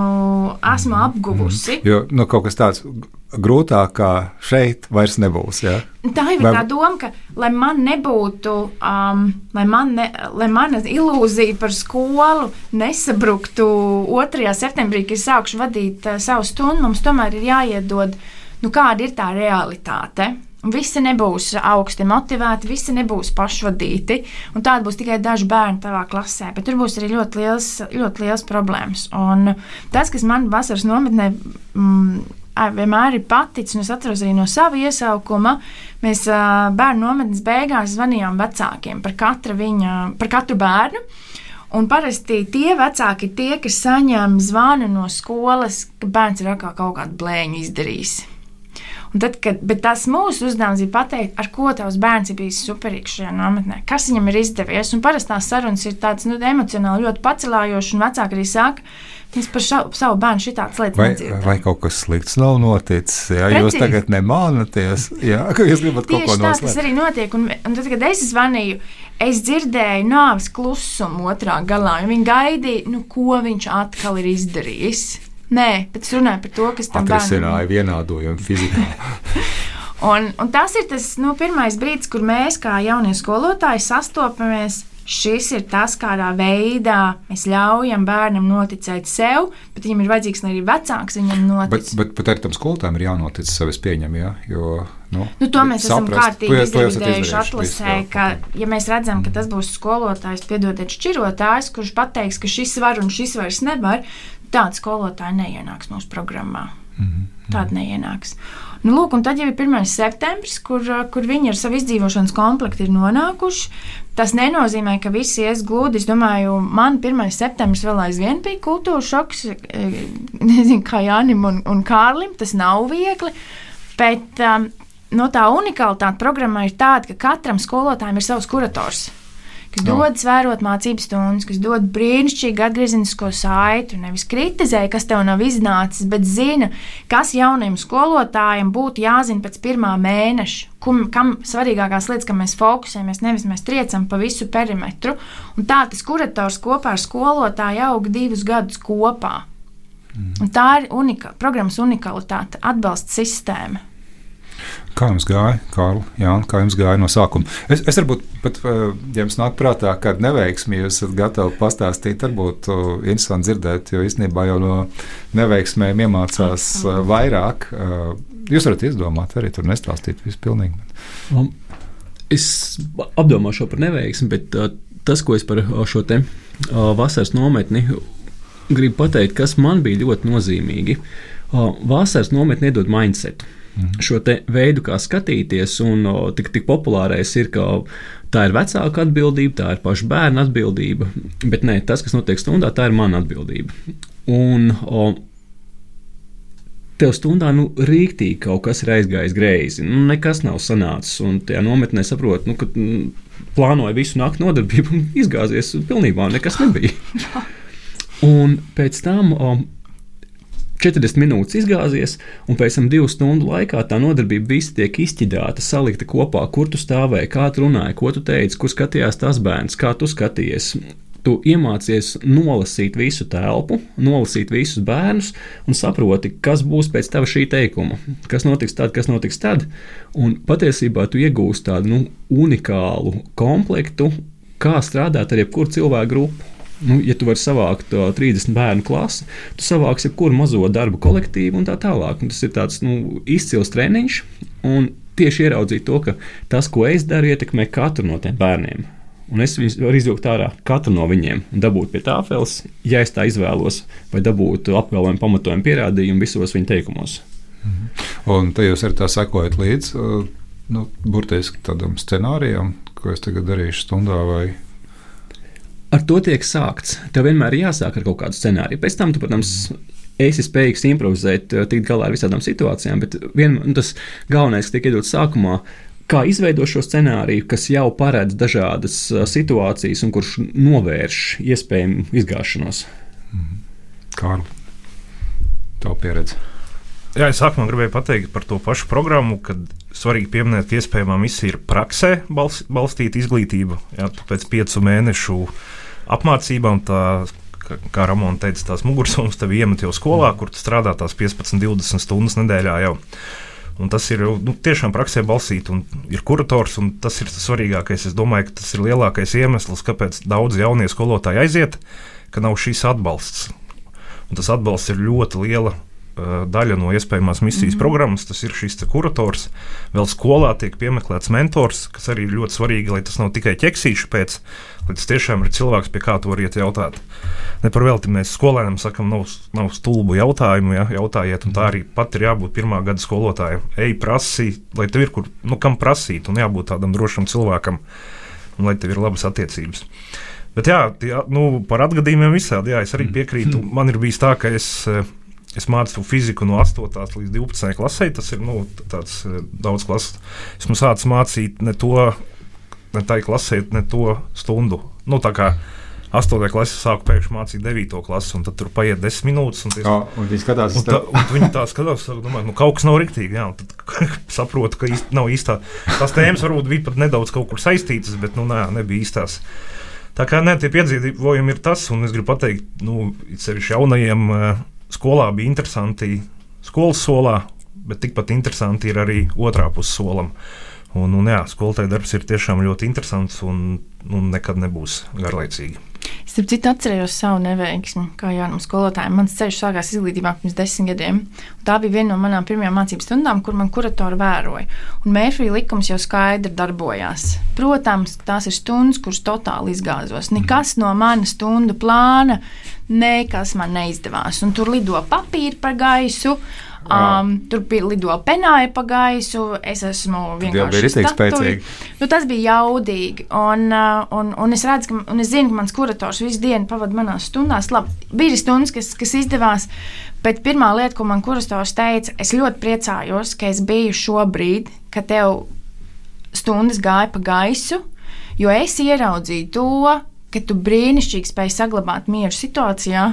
E: esmu apguvusi.
C: Jo nu, kaut kas tāds, grūtākā šeit vairs nebūs. Ja?
E: Tā ir Vai... tā doma, ka lai man nebūtu, um, lai, man ne, lai mana ilūzija par skolu nesabruktu otrajā septembrī, kad es sākšu vadīt uh, savu stundu, mums tomēr ir jāiedod, nu, kāda ir tā realitāte. Visi nebūs augsti motivēti, visi nebūs pašvadīti, un tāda būs tikai daži bērni tavā klasē, bet tur būs arī ļoti liels, ļoti liels problēmas. Un tas, kas man vasaras nometnē mm, vienmēr ir paticis, un es atceros arī no sava iesaukuma, mēs bērnu nometnes beigās zvanījām vecākiem par katru, viņa, par katru bērnu. Un parasti tie vecāki ir tie, kas saņem zvanu no skolas, ka bērns ir atkal kaut kādu blēņu izdarījis. Un tad, kad, bet tas mūsu uzdevums ir pateikt, ar ko tavs bērns ir bijis superīgs šajā nometnē, kas viņam ir izdevies. Un parasti tās sarunas ir tādas nu, emocionāli ļoti pacelājošas, un vecāki arī saka, viņas par šau, savu bērnu šitādas lietas nedzird.
C: Vai kaut kas slikts nav noticis? Jā, jūs tagad nemānaties, jā, ka jūs gribat kaut ko noslēpt.
E: Tieši tā, tas arī notiek. Un, un tad, kad es zvanīju, es dzirdēju nāves klusumu otrā galā, un viņi gaidīja, nu, ko viņš atkal ir izdarījis. Nē, bet es runāju par to, kas tam bērnam...
C: Atrisināja vienādojumu fizikā.
E: un, un tas ir tas nu, pirmais brīdis, kur mēs kā jaunie skolotāji sastopamies. Šis ir tas, kādā veidā mēs ļaujam bērnam noticēt sev, bet viņam ir vajadzīgs, lai arī vecāks viņam notic.
C: Bet, bet, bet arī tam skolotājiem ir jānotic sev, es pieņemu, jā, jo... Nu,
E: nu, to mēs
C: saprast,
E: esam kārtīgi izdarījuši
C: atlasē,
E: ka, ja mēs redzam, ka tas būs skolotājs, piedodiet, šķirotājs, kurš pateiks, ka šis var un šis vairs nevar, tāda skolotāja neienāks mūsu programmā. Mm-hmm. Tāda neienāks. Nu, lūk, un tad jau ir pirmais septembris, kur, kur viņi ar savu izdzīvošanas komplektu ir nonākuši. Tas nenozīmē, ka visi ies gludi. Es domāju, man pirmais septembris vēl aizvien bija kultūra šoks, nezinu, kā Jānim un, un Kārlim, tas nav viegli, bet um, no tā unikalitāte programmā ir tāda, ka katram skolotājiem ir savs kurators, kas no. dod svērot mācības stundas, kas dod brīnišķīgu atgriezenisko saiti, nevis kritizē, kas tev nav iznācis, bet zina, kas jaunajiem skolotājiem būtu jāzina pēc pirmā mēneša, kum, kam svarīgākās lietas, kam mēs fokusējamies, nevis mēs triecam pa visu perimetru. Un tā tas kurators kopā ar skolotāju aug divus gadus kopā. Mm. Un tā ir unika, programmas unikalitāte, atbalsta sistēma.
C: Kā jums gāja, Kārli? Jā, kā jums gāja no sākuma? Es, es varbūt pat, ja jums nāk prātā kāda neveiksme, jūs esat gatavi pastāstīt, varbūt interesanti dzirdēt, jo īstenībā jau no neveiksmēm iemācās vairāk. Jūs varat izdomāt, arī tur nestāstīt visu pilnīgi.
D: Es apdomāšu par neveiksmi, bet tas, ko es par šo te vasaras nometni gribu pateikt, kas man bija ļoti nozīmīgi. Vasaras nometni iedod mindsetu. Šo te veidu, kā skatīties, un o, tik, tik populārais ir, ka tā ir vecāka atbildība, tā ir paša bērna atbildība, bet nē, tas, kas notiek stundā, tā ir mana atbildība. Un o, tev stundā nu, rīktīgi kaut kas ir aizgājis greizi, nu, nekas nav sanācis, un tajā nometnē saprot, nu, ka nu, plānoja visu nakti nodarbību un izgāzies pilnībā, nekas nebija. Un pēc tam... O, četrdesmit minūtes izgāzies, un pēc tam divu stundu laikā tā nodarbība visi tiek izķidāta, salikta kopā, kur tu stāvēji, kā tu runāji, ko tu teici, kur skatījās tas bērns, kā tu skatījies. Tu iemācies nolasīt visu telpu, nolasīt visus bērnus un saproti, kas būs pēc tava šī teikuma, kas notiks tad, kas notiks tad. Un patiesībā tu iegūsi tādu nu, unikālu komplektu, kā strādāt ar jebkuru cilvēku grupu. Nu, ja tu vari savākt uh, trīsdesmit bērnu klasi, tu savāksi jebkuru mazo darbu kolektīvu un tā tālāk. Un tas ir tāds nu, izcils treniņš, un tieši ieraudzīt to, ka tas, ko es daru, ietekmē katru no tiem bērniem. Un es viņus varu izvilkt ārā katru no viņiem un dabūt pie tāfeles, ja es tā izvēlos, vai dabūt apgalvojumu, pamatojumu, pierādījumu visos viņu teikumos.
C: Mhm. Un te jūs arī tā sekojat līdz, uh, nu, burtiski tādam scenārijam, ko es tagad darīšu stundā vai...
D: Ar to tiek sākts. Tev vienmēr ir jāsāk ar kaut kādu scenāriju. Pēc tam, tu, protams, esi spējīgs improvizēt, tikt galā ar visādām situācijām, bet vien, tas galvenais, kas tiek iedots sākumā, kā izveidot šo scenāriju, kas jau paredz dažādas situācijas un kurš novērš iespējamu izgāšanos.
C: Kārli, tavu pieredzi.
F: Jā, es sākumā gribēju pateikt par to pašu programmu, kad svarīgi pieminēt, ka iespējamā misija ir praksē balstīta izglītība. Jā, pēc piecu mēnešu apmācībām tā kā Ramona teica, tās mugursomas tev iemet jau skolā, kur tu strādā tās piecpadsmit divdesmit stundas nedēļā jau. Un tas ir nu, tiešām praksē balsīt, un ir kurators, un tas ir tas svarīgākais. Es domāju, ka tas ir lielākais iemesls, kāpēc daudz jaunie skolotāji aiziet, ka nav šīs atbalsts. Un tas atbalsts ir ļoti liela uh, daļa no iespējamās misijas mm-hmm. programmas. Tas ir šis kurators. Vēl skolā tiek piemeklēts mentors, kas arī ir ļoti svarīgi, lai tas nav tikai ķeksīši pēc, lai tas tiešām ir cilvēks, pie kā tu var iet jautāt. Ne par velti mēs skolēniem sakam, nav, nav stulbu jautājumu, ja, jautājiet, un tā arī pat ir jābūt pirmā gada skolotājiem. Ej, prasī, lai tev ir kur, nu, kam prasīt, un jābūt tādam drošam cilvēkam, un lai tev ir labas attiecības. Bet jā, jā nu, par atgadījumiem visādi, jā, es arī piekrītu. Man ir bijis tā, ka es, es mācu fiziku no astotās līdz divpadsmitajai klasei, tas ir, nu, tāds daudz klases. Esmu sācis mācīt ne to, ne tai klasē, ne to stundu. Nu, tā kā astotajā klasē sāku pēkšņi mācīt devīto klasi, un tad tur paiet desmit minūtes. Un, ties,
C: jā, un viņi skatās,
F: un tā, un viņi tā skatās, domāju, nu kaut kas nav riktīgi, jā, un tad saprotu, ka īsti, nav īstā. Tās tēmas varbūt bija pat nedaudz kaut kur saistītas, bet, nu, nē, nebija īstās. Tā kā, nē, tie piedzīvojumi ir tas, un es gribu pateikt, nu, sevišķi jaunajiem skolā bija interesanti skolas solā, bet tikpat interesanti ir arī otrā puses solam. Un, un jā, skolotāja darbs ir tiešām ļoti interesants un, un nekad nebūs garlaicīgi.
E: Es starp citu atcerējos savu neveiksmi, kā jaunam skolotājiem. Mans ceļš sākās izglītībā pirms desmit gadiem. Tā bija viena no manām pirmajām mācību stundām, kur man kuratori vēroja. Un Mērfija likums jau skaidri darbojās. Protams, tās ir stundas, kuras totāli izgāzos. Nekas no mana stundu plāna, nekas man neizdevās. Un tur lido papīri par gaisu. Um, tur bija lido penāja pa gaisu, es esmu vienkārši statuja. Nu, tas bija jaudīgi, un, uh, un, un es redzu, ka, un es zinu, ka mans kurators visu dienu pavada manās stundās. Labi, bija stundas, kas, kas izdevās, bet pirmā lieta, ko man kurators teica, es ļoti priecājos, ka es biju šobrīd, ka tev stundas gāja pa gaisu, jo es ieraudzīju to, ka tu brīnišķīgi spēj saglabāt mieru situācijā,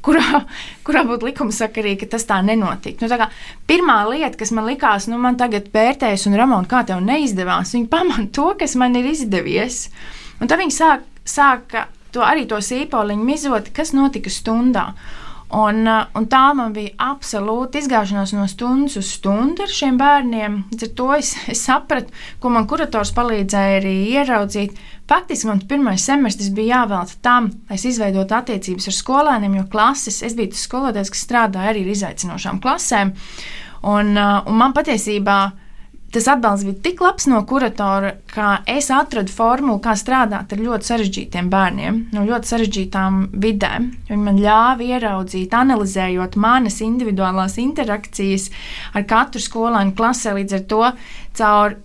E: kurā, kurā būtu likumsakarīgi, ka tas tā nenotika. Nu, tā kā pirmā lieta, kas man likās, nu, man tagad pērtējas, un Ramona, kā tev neizdevās, viņa pamana to, kas man ir izdevies. Un tad viņa sāk, sāka to, arī to sīpoliņu mizot, kas notika stundā. Un, un tā man bija absolūti izgāšanās no stundas uz stundu ar šiem bērniem. Ar to es, es sapratu, ko man kurators palīdzēja arī ieraudzīt. Faktiski man pirmais semestris bija jāvelta tam, lai es izveidotu attiecības ar skolēniem, jo klases, es biju tas skolotājs, kas strādāja arī ar izaicinošām klasēm. Un, un man patiesībā tas atbalsts bija tik labs no kuratora, ka es atradu formulu, kā strādāt ar ļoti sarežģītiem bērniem, no ļoti sarežģītām vidēm. Viņi man ļāva ieraudzīt, analizējot manas individuālās interakcijas ar katru skolēnu klasē, līdz ar to caur.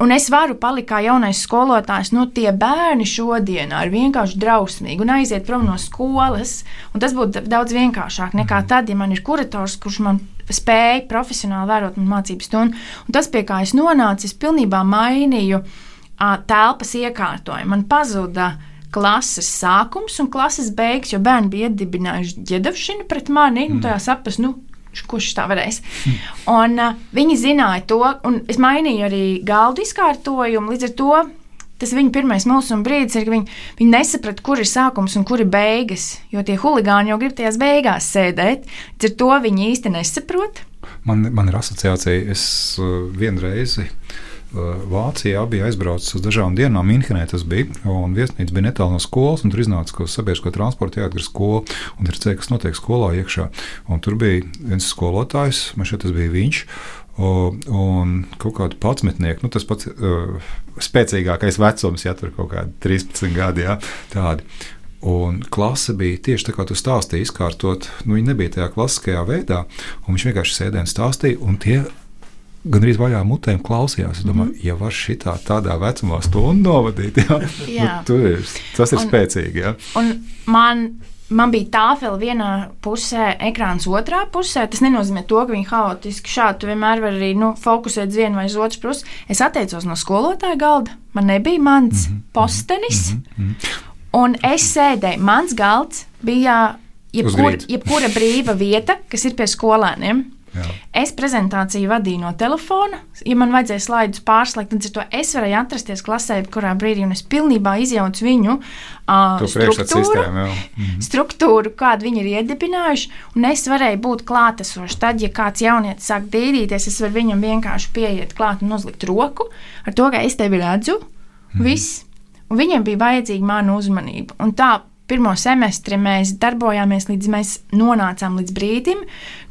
E: Un es varu palikt kā jaunais skolotājs, nu tie bērni šodienā ir vienkārši drausmīgi un aiziet prom no skolas, un tas būtu daudz vienkāršāk nekā tad, ja man ir kurators, kurš man spēja profesionāli vērot man mācību stundu. Un tas, pie kā es nonācu, es pilnībā mainīju a, telpas iekārtojumu. Man pazuda klases sākums un klases beigas, jo bērni bija iedibinājuši ģedavšanu pret mani, mm. un tajā saprast, nu, kurš tā varēs. Un uh, viņi zināja to, un es mainīju arī galdu izkārtojumu, līdz ar to tas viņa pirmais mulsuma brīdis ir, ka viņi, viņi nesaprata, kur ir sākums un kur ir beigas, jo tie huligāni jau grib tajās beigās sēdēt, līdz ar to viņi īsti nesaprot.
C: Man, man ir asociācija, es uh, vienreizi Vācijā bija aizbraucis uz dažām dienām, Minhenē tas bija, un viesnīca bija netālu no skolas, un tur iznāca, ka uz sabiedrisko transportu jāatgriež skola, un tur redzēja, kas notiek skolā iekšā. Un tur bija viens skolotājs, man šeit tas bija viņš, un kaut kādu padsmetnieku, nu tas pats uh, spēcīgākais vecums, ja tur kaut kādi trīspadsmit gadi, jā, tādi. Un klase bija tieši tā, kā tu stāstīji, izkārtot, nu viņi nebija tajā klasiskajā veidā, un viņš vienkārši sēdēja un stāstīja, un tie gan arī vaļā mutēm klausījās. Es domāju, mm-hmm. ja var šitā tādā vecumā stundu novadīt, jā, jā. Nu, tur ir, tas ir un, spēcīgi. Jā.
E: Un man, man bija tāfeli vienā pusē, ekrāns otrā pusē. Tas nenozīmē to, ka viņi haotiski šādi. Tu vienmēr var arī nu, fokusēt uz vienu vai uz otru pusi. Es atteicos no skolotāja galda. Man nebija mans mm-hmm. postenis. Mm-hmm. Un es sēdēju. Mans galds bija jebkur, jebkura brīva vieta, kas ir pie skolēniem.
C: Jā.
E: Es prezentāciju vadīju no telefona. Ja man vajadzēja slaidus pārslēgt, tad to es varēju atrasties klasē, kurā brīdī, un es pilnībā izjaucu viņu uh, struktūru, mhm. struktūru, kādu viņi ir iedibinājuši, un es varēju būt klātesoši. Tad, ja kāds jaunietis sāk dīdīties, es varu viņam vienkārši pieiet klāt un uzlikt roku ar to, ka es tevi redzu, mhm. viss. Un viņiem bija vajadzīga mana uzmanība. Un tā pirmo semestri mēs darbojāmies, līdz mēs nonācām līdz brīdim,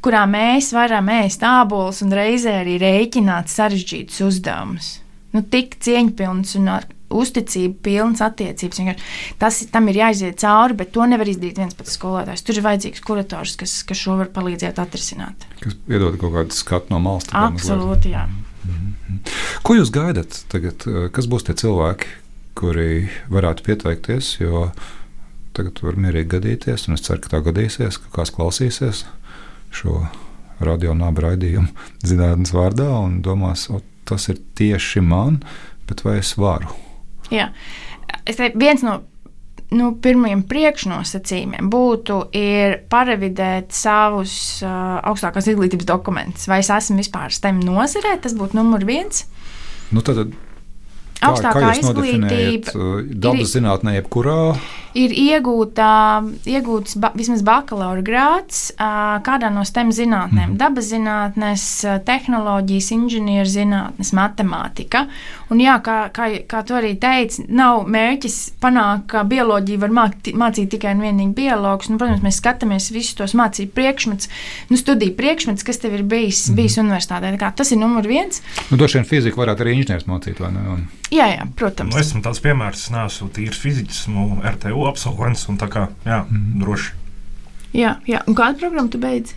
E: kurā mēs varam ēst ābolus un reizē arī rēķināt sarežģītus uzdevumus. Nu, tik cieņpilns un ar uzticību pilns attiecības. Tas tam ir jāiziet cauri, bet to nevar izdarīt viens pats skolotājs. Tur ir vajadzīgs kurators, kas, kas šo var palīdzēt atrisināt.
C: Kas iedod kaut kādu skatu no malas.
E: Absolūti, jā.
C: Mm-hmm. Ko jūs gaidat tagad? Kas būs tie cilvēki, kuri varētu pieteikties, jo tagad var mierīgi gadīties, un es ceru, ka tā gadīsies, ka kāds klausīsies šo radio nāba raidījumu zinātnes vārdā un domās, o, tas ir tieši man, bet vai es varu?
E: Jā, es teiktu, viens no nu, pirmajiem priekšnosacījumiem būtu ir parevidēt savus uh, augstākās izglītības dokumentus. Vai es esmu vispār STEM nozarē, tas būtu numur viens.
C: Nu, tad Kā,
E: augstākā
C: kā jūs
E: izglītība
C: dabas zinātnē, jebkurā?
E: Ir iegūta, iegūts ba, vismaz bakalaura grāds kādā no STEM zinātnēm. Mm. Dabas zinātnes, tehnoloģijas, inženieru zinātnes, matemātika. Un jā, kā, kā, kā tu arī teici, nav mērķis panākt, ka bioloģiju var mākt, mācīt tikai un vienīgi biologus. Nu, protams, mēs skatāmies visus tos mācību priekšmets, nu, studiju priekšmets, kas tev ir bijis, mm. bijis universitātē. Kā, tas ir numur viens.
C: Nu, doši vien fiziku varētu arī inženieris mācīt, vai ne? Un...
E: Jā, jā, protams.
F: Nu, esmu tāds piemērs, es neesmu tīrs fiziķis, esmu R T U absolvents, un tā kā, jā, mm. droši. Jā,
E: jā, un kādu programmu tu beidzi?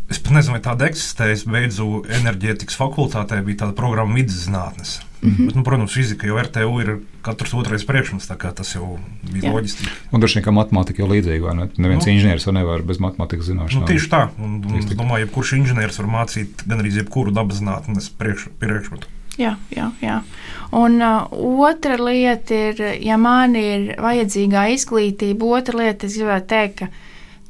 F: Es pat nezinu, vai tāda eksistē, es beidzu enerģētikas fakultātē, bija tāda programma vidas zinātnes. Mm-hmm. Bet, nu, protams, fizika jau R T U ir katrs otrais priekšmets, tā kā tas jau bija jā. Loģiski.
C: Un droši vien, ka matemātika jau līdzīga, vai ne? Neviens nu, inženieris jau nevar bez matemātikas zināšanām.
F: Nu, tieši tā, un, un es domāju, jebkurš inženieris var mācīt gan arī jebkuru dabas zinātnes priekš, priekšmetu.
E: Jā, jā, jā. Un uh, otra lieta ir, ja man ir vajadzīgā izglītība, otra lieta, es gribētu teikt, ka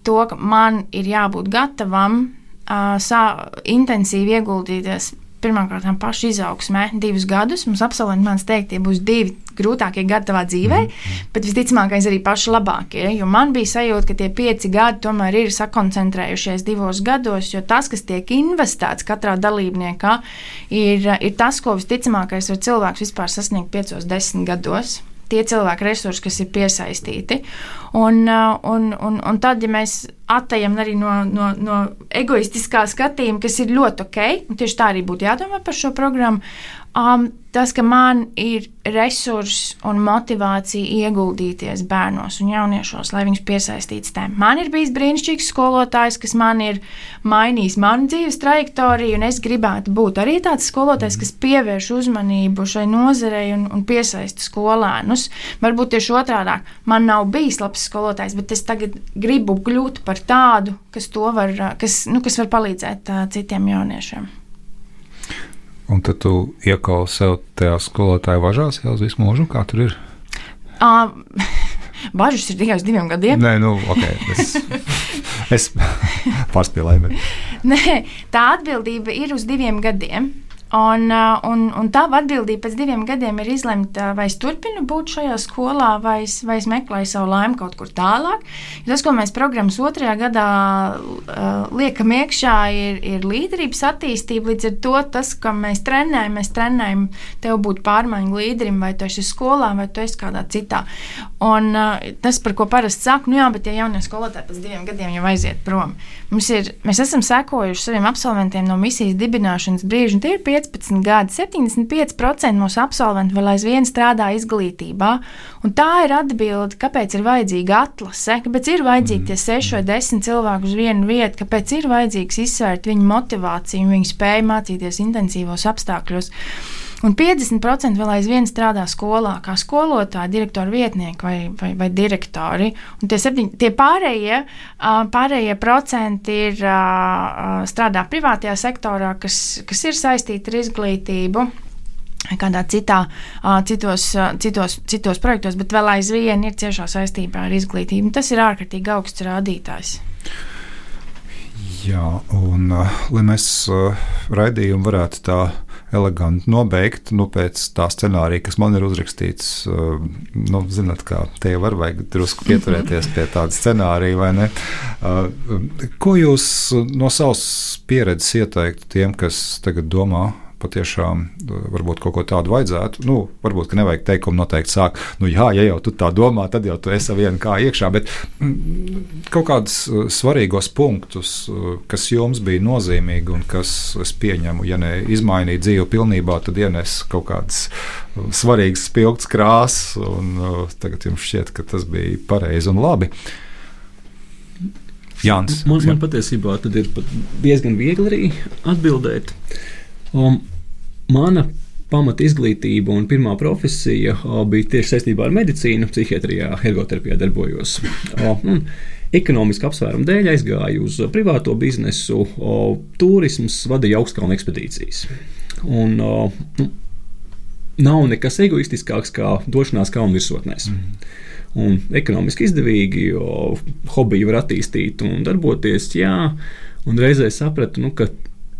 E: to, ka man ir jābūt gatavam uh, sā, intensīvi ieguldīties pirmkārt pašu izaugsmē divus gadus. Mums absolventi mans teikt, tie būs divi grūtākie gadi tavā dzīvē, mm. bet visticamākais arī paši labākie. Jo man bija sajūta, ka tie pieci gadi tomēr ir sakoncentrējušies divos gados, jo tas, kas tiek investēts katrā dalībniekā, ir, ir tas, ko visticamākais var cilvēks vispār sasniegt piecos, desmit gados. Tie cilvēki resursi, kas ir piesaistīti. Un, un, un, un tad, ja mēs atejam arī no, no, no egoistiskā skatījuma, kas ir ļoti ok, un tieši tā arī būtu jādomā par šo programmu, um, tas, ka man ir resursi un motivācija ieguldīties bērnos un jauniešos, lai viņus piesaistītu tēm. Man ir bijis brīnišķīgs skolotājs, kas man ir mainījis manu dzīves trajektoriju, un es gribētu būt arī tāds skolotājs, kas pievērš uzmanību šai nozarei un, un piesaista skolēnus. Varbūt tieši otrādāk, man nav bijis labs skolotājs, bet es tagad gribu kļūt par tādu, kas, to var, kas, nu, kas var palīdzēt uh, citiem jauniešiem.
C: Un tad tu iekausi sev tajā skolotāja važās jau uz visu mūžu? Kā tur ir?
E: Uh, Bažas ir tikai uz diviem gadiem.
C: Nē, nu, ok. Es, es pārspīlēju. Bet...
E: Nē, tā atbildība ir uz diviem gadiem. Un, un, un tā atbildība pēc diviem gadiem ir izlemt, vai es turpinu būt šajā skolā, vai es, vai es meklēju savu laimi kaut kur tālāk. Jo tas, ko mēs programmas otrajā gadā uh, liekam iekšā, ir, ir līderības attīstība. Līdz ar to tas, ko mēs trenējam, mēs trenējam tev būt pārmaiņu līderim, vai tu esi skolā, vai tu esi kādā citā. Un uh, tas, par ko parasti saku, nu jā, bet tie jaunie skolotāji pēc diviem gadiem jau aiziet prom. Mums ir, mēs esam sekojuši saviem absolventiem no misijas dibināšanas brīža, un tie ir piecpadsmit gadi. septiņdesmit pieci procenti mūsu absolventu vēl aizvien strādā izglītībā, un tā ir atbilde, kāpēc ir vajadzīga atlase, kāpēc ir vajadzīgi tie seši vai desmit cilvēku uz vienu vietu, kāpēc ir vajadzīgs izsvērt viņu motivāciju un viņu spēju mācīties intensīvos apstākļos. Un piecdesmit procenti vēl aizvien strādā skolā, kā skolotāji, direktori vietnieki vai, vai, vai direktori. Un tie, septiņ, tie pārējie, pārējie procenti ir strādā privātajā sektorā, kas, kas ir saistīti ar izglītību, kādā citā, citos, citos, citos projektos, bet vēl aizvien ir ciešā saistībā ar izglītību. Tas ir ārkārtīgi augsts rādītājs.
C: Jā, un uh, lai mēs uh, raidījumu varētu tā eleganti nobeigt, nu, pēc tā scenārija, kas man ir uzrakstīts, uh, nu, zināt, kā te jau var vajag drusku pieturēties pie tāda scenārija, vai ne? Uh, ko jūs no savas pieredzes ieteiktu tiem, kas tagad domā, patiešām varbūt kaut ko tādu vajadzētu. Nu, varbūt, ka nevajag teikumu noteikti sākt. Nu, jā, ja jau tu tā domā, tad jau tu esi viena kā iekšā, bet mm, kaut kādus svarīgos punktus, kas jums bija nozīmīgi un kas, es pieņemu, ja ne izmainīja dzīvi pilnībā, tad ienes kaut kādas svarīgas spilgtas krāsas, un uh, tagad jums šķiet, ka tas bija pareizi un labi. Jānis.
D: Man, man patiesībā tad ir pat diezgan viegli arī atbildēt. Um, mana pamata izglītība un pirmā profesija uh, bija tieši saistībā ar medicīnu, psihiatrijā, ergoterapijā darbojos. Uh, un ekonomiski apsvērumu dēļ aizgāju uz privāto biznesu, uh, turisms, vadīju augstkalnu ekspedīcijas. Un, uh, nu, nav nekas egoistiskāks kā došanās kalnu virsotnēs. Mm. Un ekonomiski izdevīgi, uh, hobiju var attīstīt un darboties, jā, un reizē sapratu, nu, ka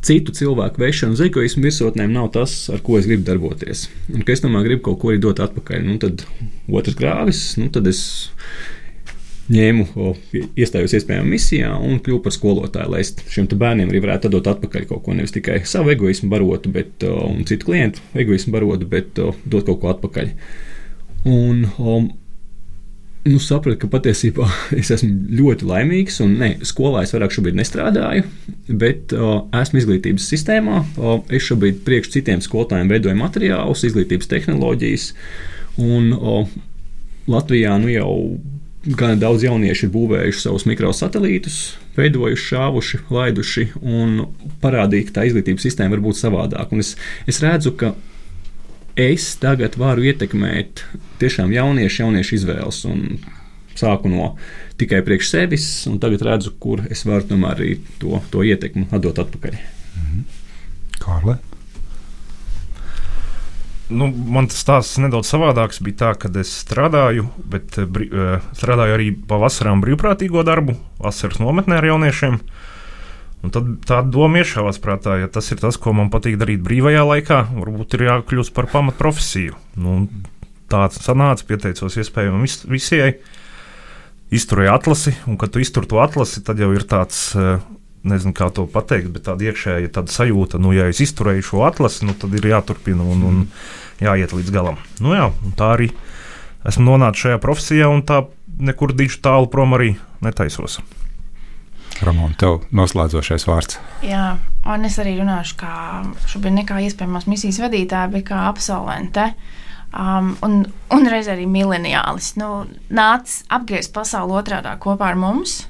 D: citu cilvēku vešana uz egoismu virsotnēm nav tas, ar ko es gribu darboties. Un, ka es tomēr gribu kaut ko arī dot atpakaļ. Nu, tad otrs grāvis, nu, tad es ņēmu, o, iestājos iespējamā misijā un kļuvu par skolotāju, lai es šiem bērniem arī varētu dot atpakaļ kaut ko, nevis tikai savu egoismu barotu, bet, o, un citu klientu egoismu barotu, bet o, dot kaut ko atpakaļ. Un o, nu, sapratu, ka patiesībā es esmu ļoti laimīgs, un ne, skolā es vairāk šobrīd nestrādāju, bet uh, esmu izglītības sistēmā. Uh, es šobrīd priekš citiem skolotājiem veidoju materiālus, izglītības tehnoloģijas, un uh, Latvijā nu jau gan daudz jaunieši ir būvējuši savus mikrosatelītus, veidojuši, šāvuši, laiduši, un parādīja, ka tā izglītības sistēma var būt savādāk. Un es, es redzu, ka es tagad varu ietekmēt tiešām jauniešu, jauniešu izvēles, un sāku no tikai priekš sevis, un tagad redzu, kur es varu tomēr arī to, to ietekmi atdot atpakaļ.
C: Mhm. Kārli?
F: Nu, man tas stāsts nedaudz savādāks bija tā, kad es strādāju, bet brī, strādāju arī pa vasarām brīvprātīgo darbu, vasaras nometnē ar jauniešiem. Un tad tāda doma iešāvās prātā, ja tas ir tas, ko man patīk darīt brīvajā laikā, varbūt ir jākļūst par pamatprofesiju. Nu, tā sanāca, pieteicos iespējami vis, visai, izturēju atlasi, un kad tu iztur to atlasi, tad jau ir tāds, nezinu kā to pateikt, bet tāda iekšēja tāda sajūta, nu, ja es izturēju šo atlasi, nu, tad ir jāturpina un, un jāiet līdz galam. Nu jā, un tā arī esmu nonācis šajā profesijā, un tā nekur dižu tālu prom arī netaisos.
C: Ramon, tev noslēdzošais vārds.
E: Jā, un es arī runāšu kā šobrīd ne kā iespējamās misijas vadītāja, bet kā absolvente. Um, un, un reiz arī mileniālis. Nu, nāc apgriezt pasauli otrādā kopā ar mums,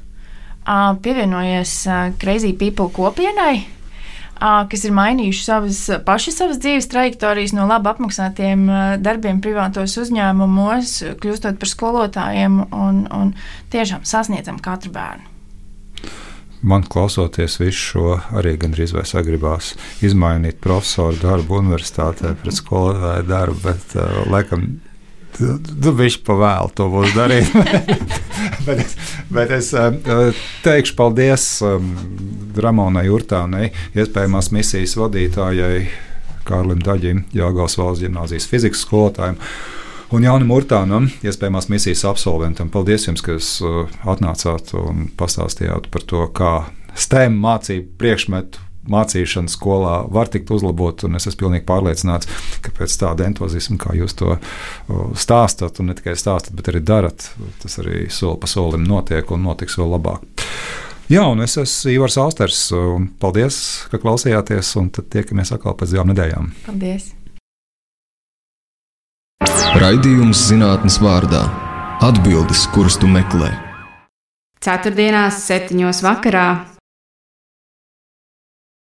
E: uh, pievienojies uh, Crazy People kopienai, uh, kas ir mainījuši savas, paši savas dzīves trajektorijas no labi apmaksātiem uh, darbiem privātos uzņēmumos, kļūstot par skolotājiem un, un tiešām sasniedzam katru bērnu.
C: Man klausoties visu šo, arī gandrīz vai sagribās izmainīt profesoru darbu universitātē pret skolotāju darbu, bet uh, laikam tu, tu bišķi pa vēlu to būs darīt. bet es, bet es uh, teikšu paldies um, Ramonai Urtānei, iespējamās misijas vadītājai Kārlim Daģim, Jelgavas valsts ģimnāzijas fizikas skolotājiem, un Jānim Urtānam, iespējamās misijas absolventam. Paldies jums, ka jūs uh, atnācāt un pastāstījāt par to, kā STEM mācību priekšmetu mācīšana skolā var tikt uzlabot, un es esmu pilnīgi pārliecināts, ka pēc tāda entuziasma, kā jūs to uh, stāstat, un ne tikai stāstat, bet arī darat, tas arī soli pa solim notiek un notiks vēl labāk. Jā, un es esmu Ivars Austers, un paldies, ka klausījāties, un tad tiekamies atkal pēc divām nedēļām.
E: Paldies!
A: Raidījums zinātnes vārdā - atbildes, kuras tu meklē.
B: Ceturtdienās, septiņos vakarā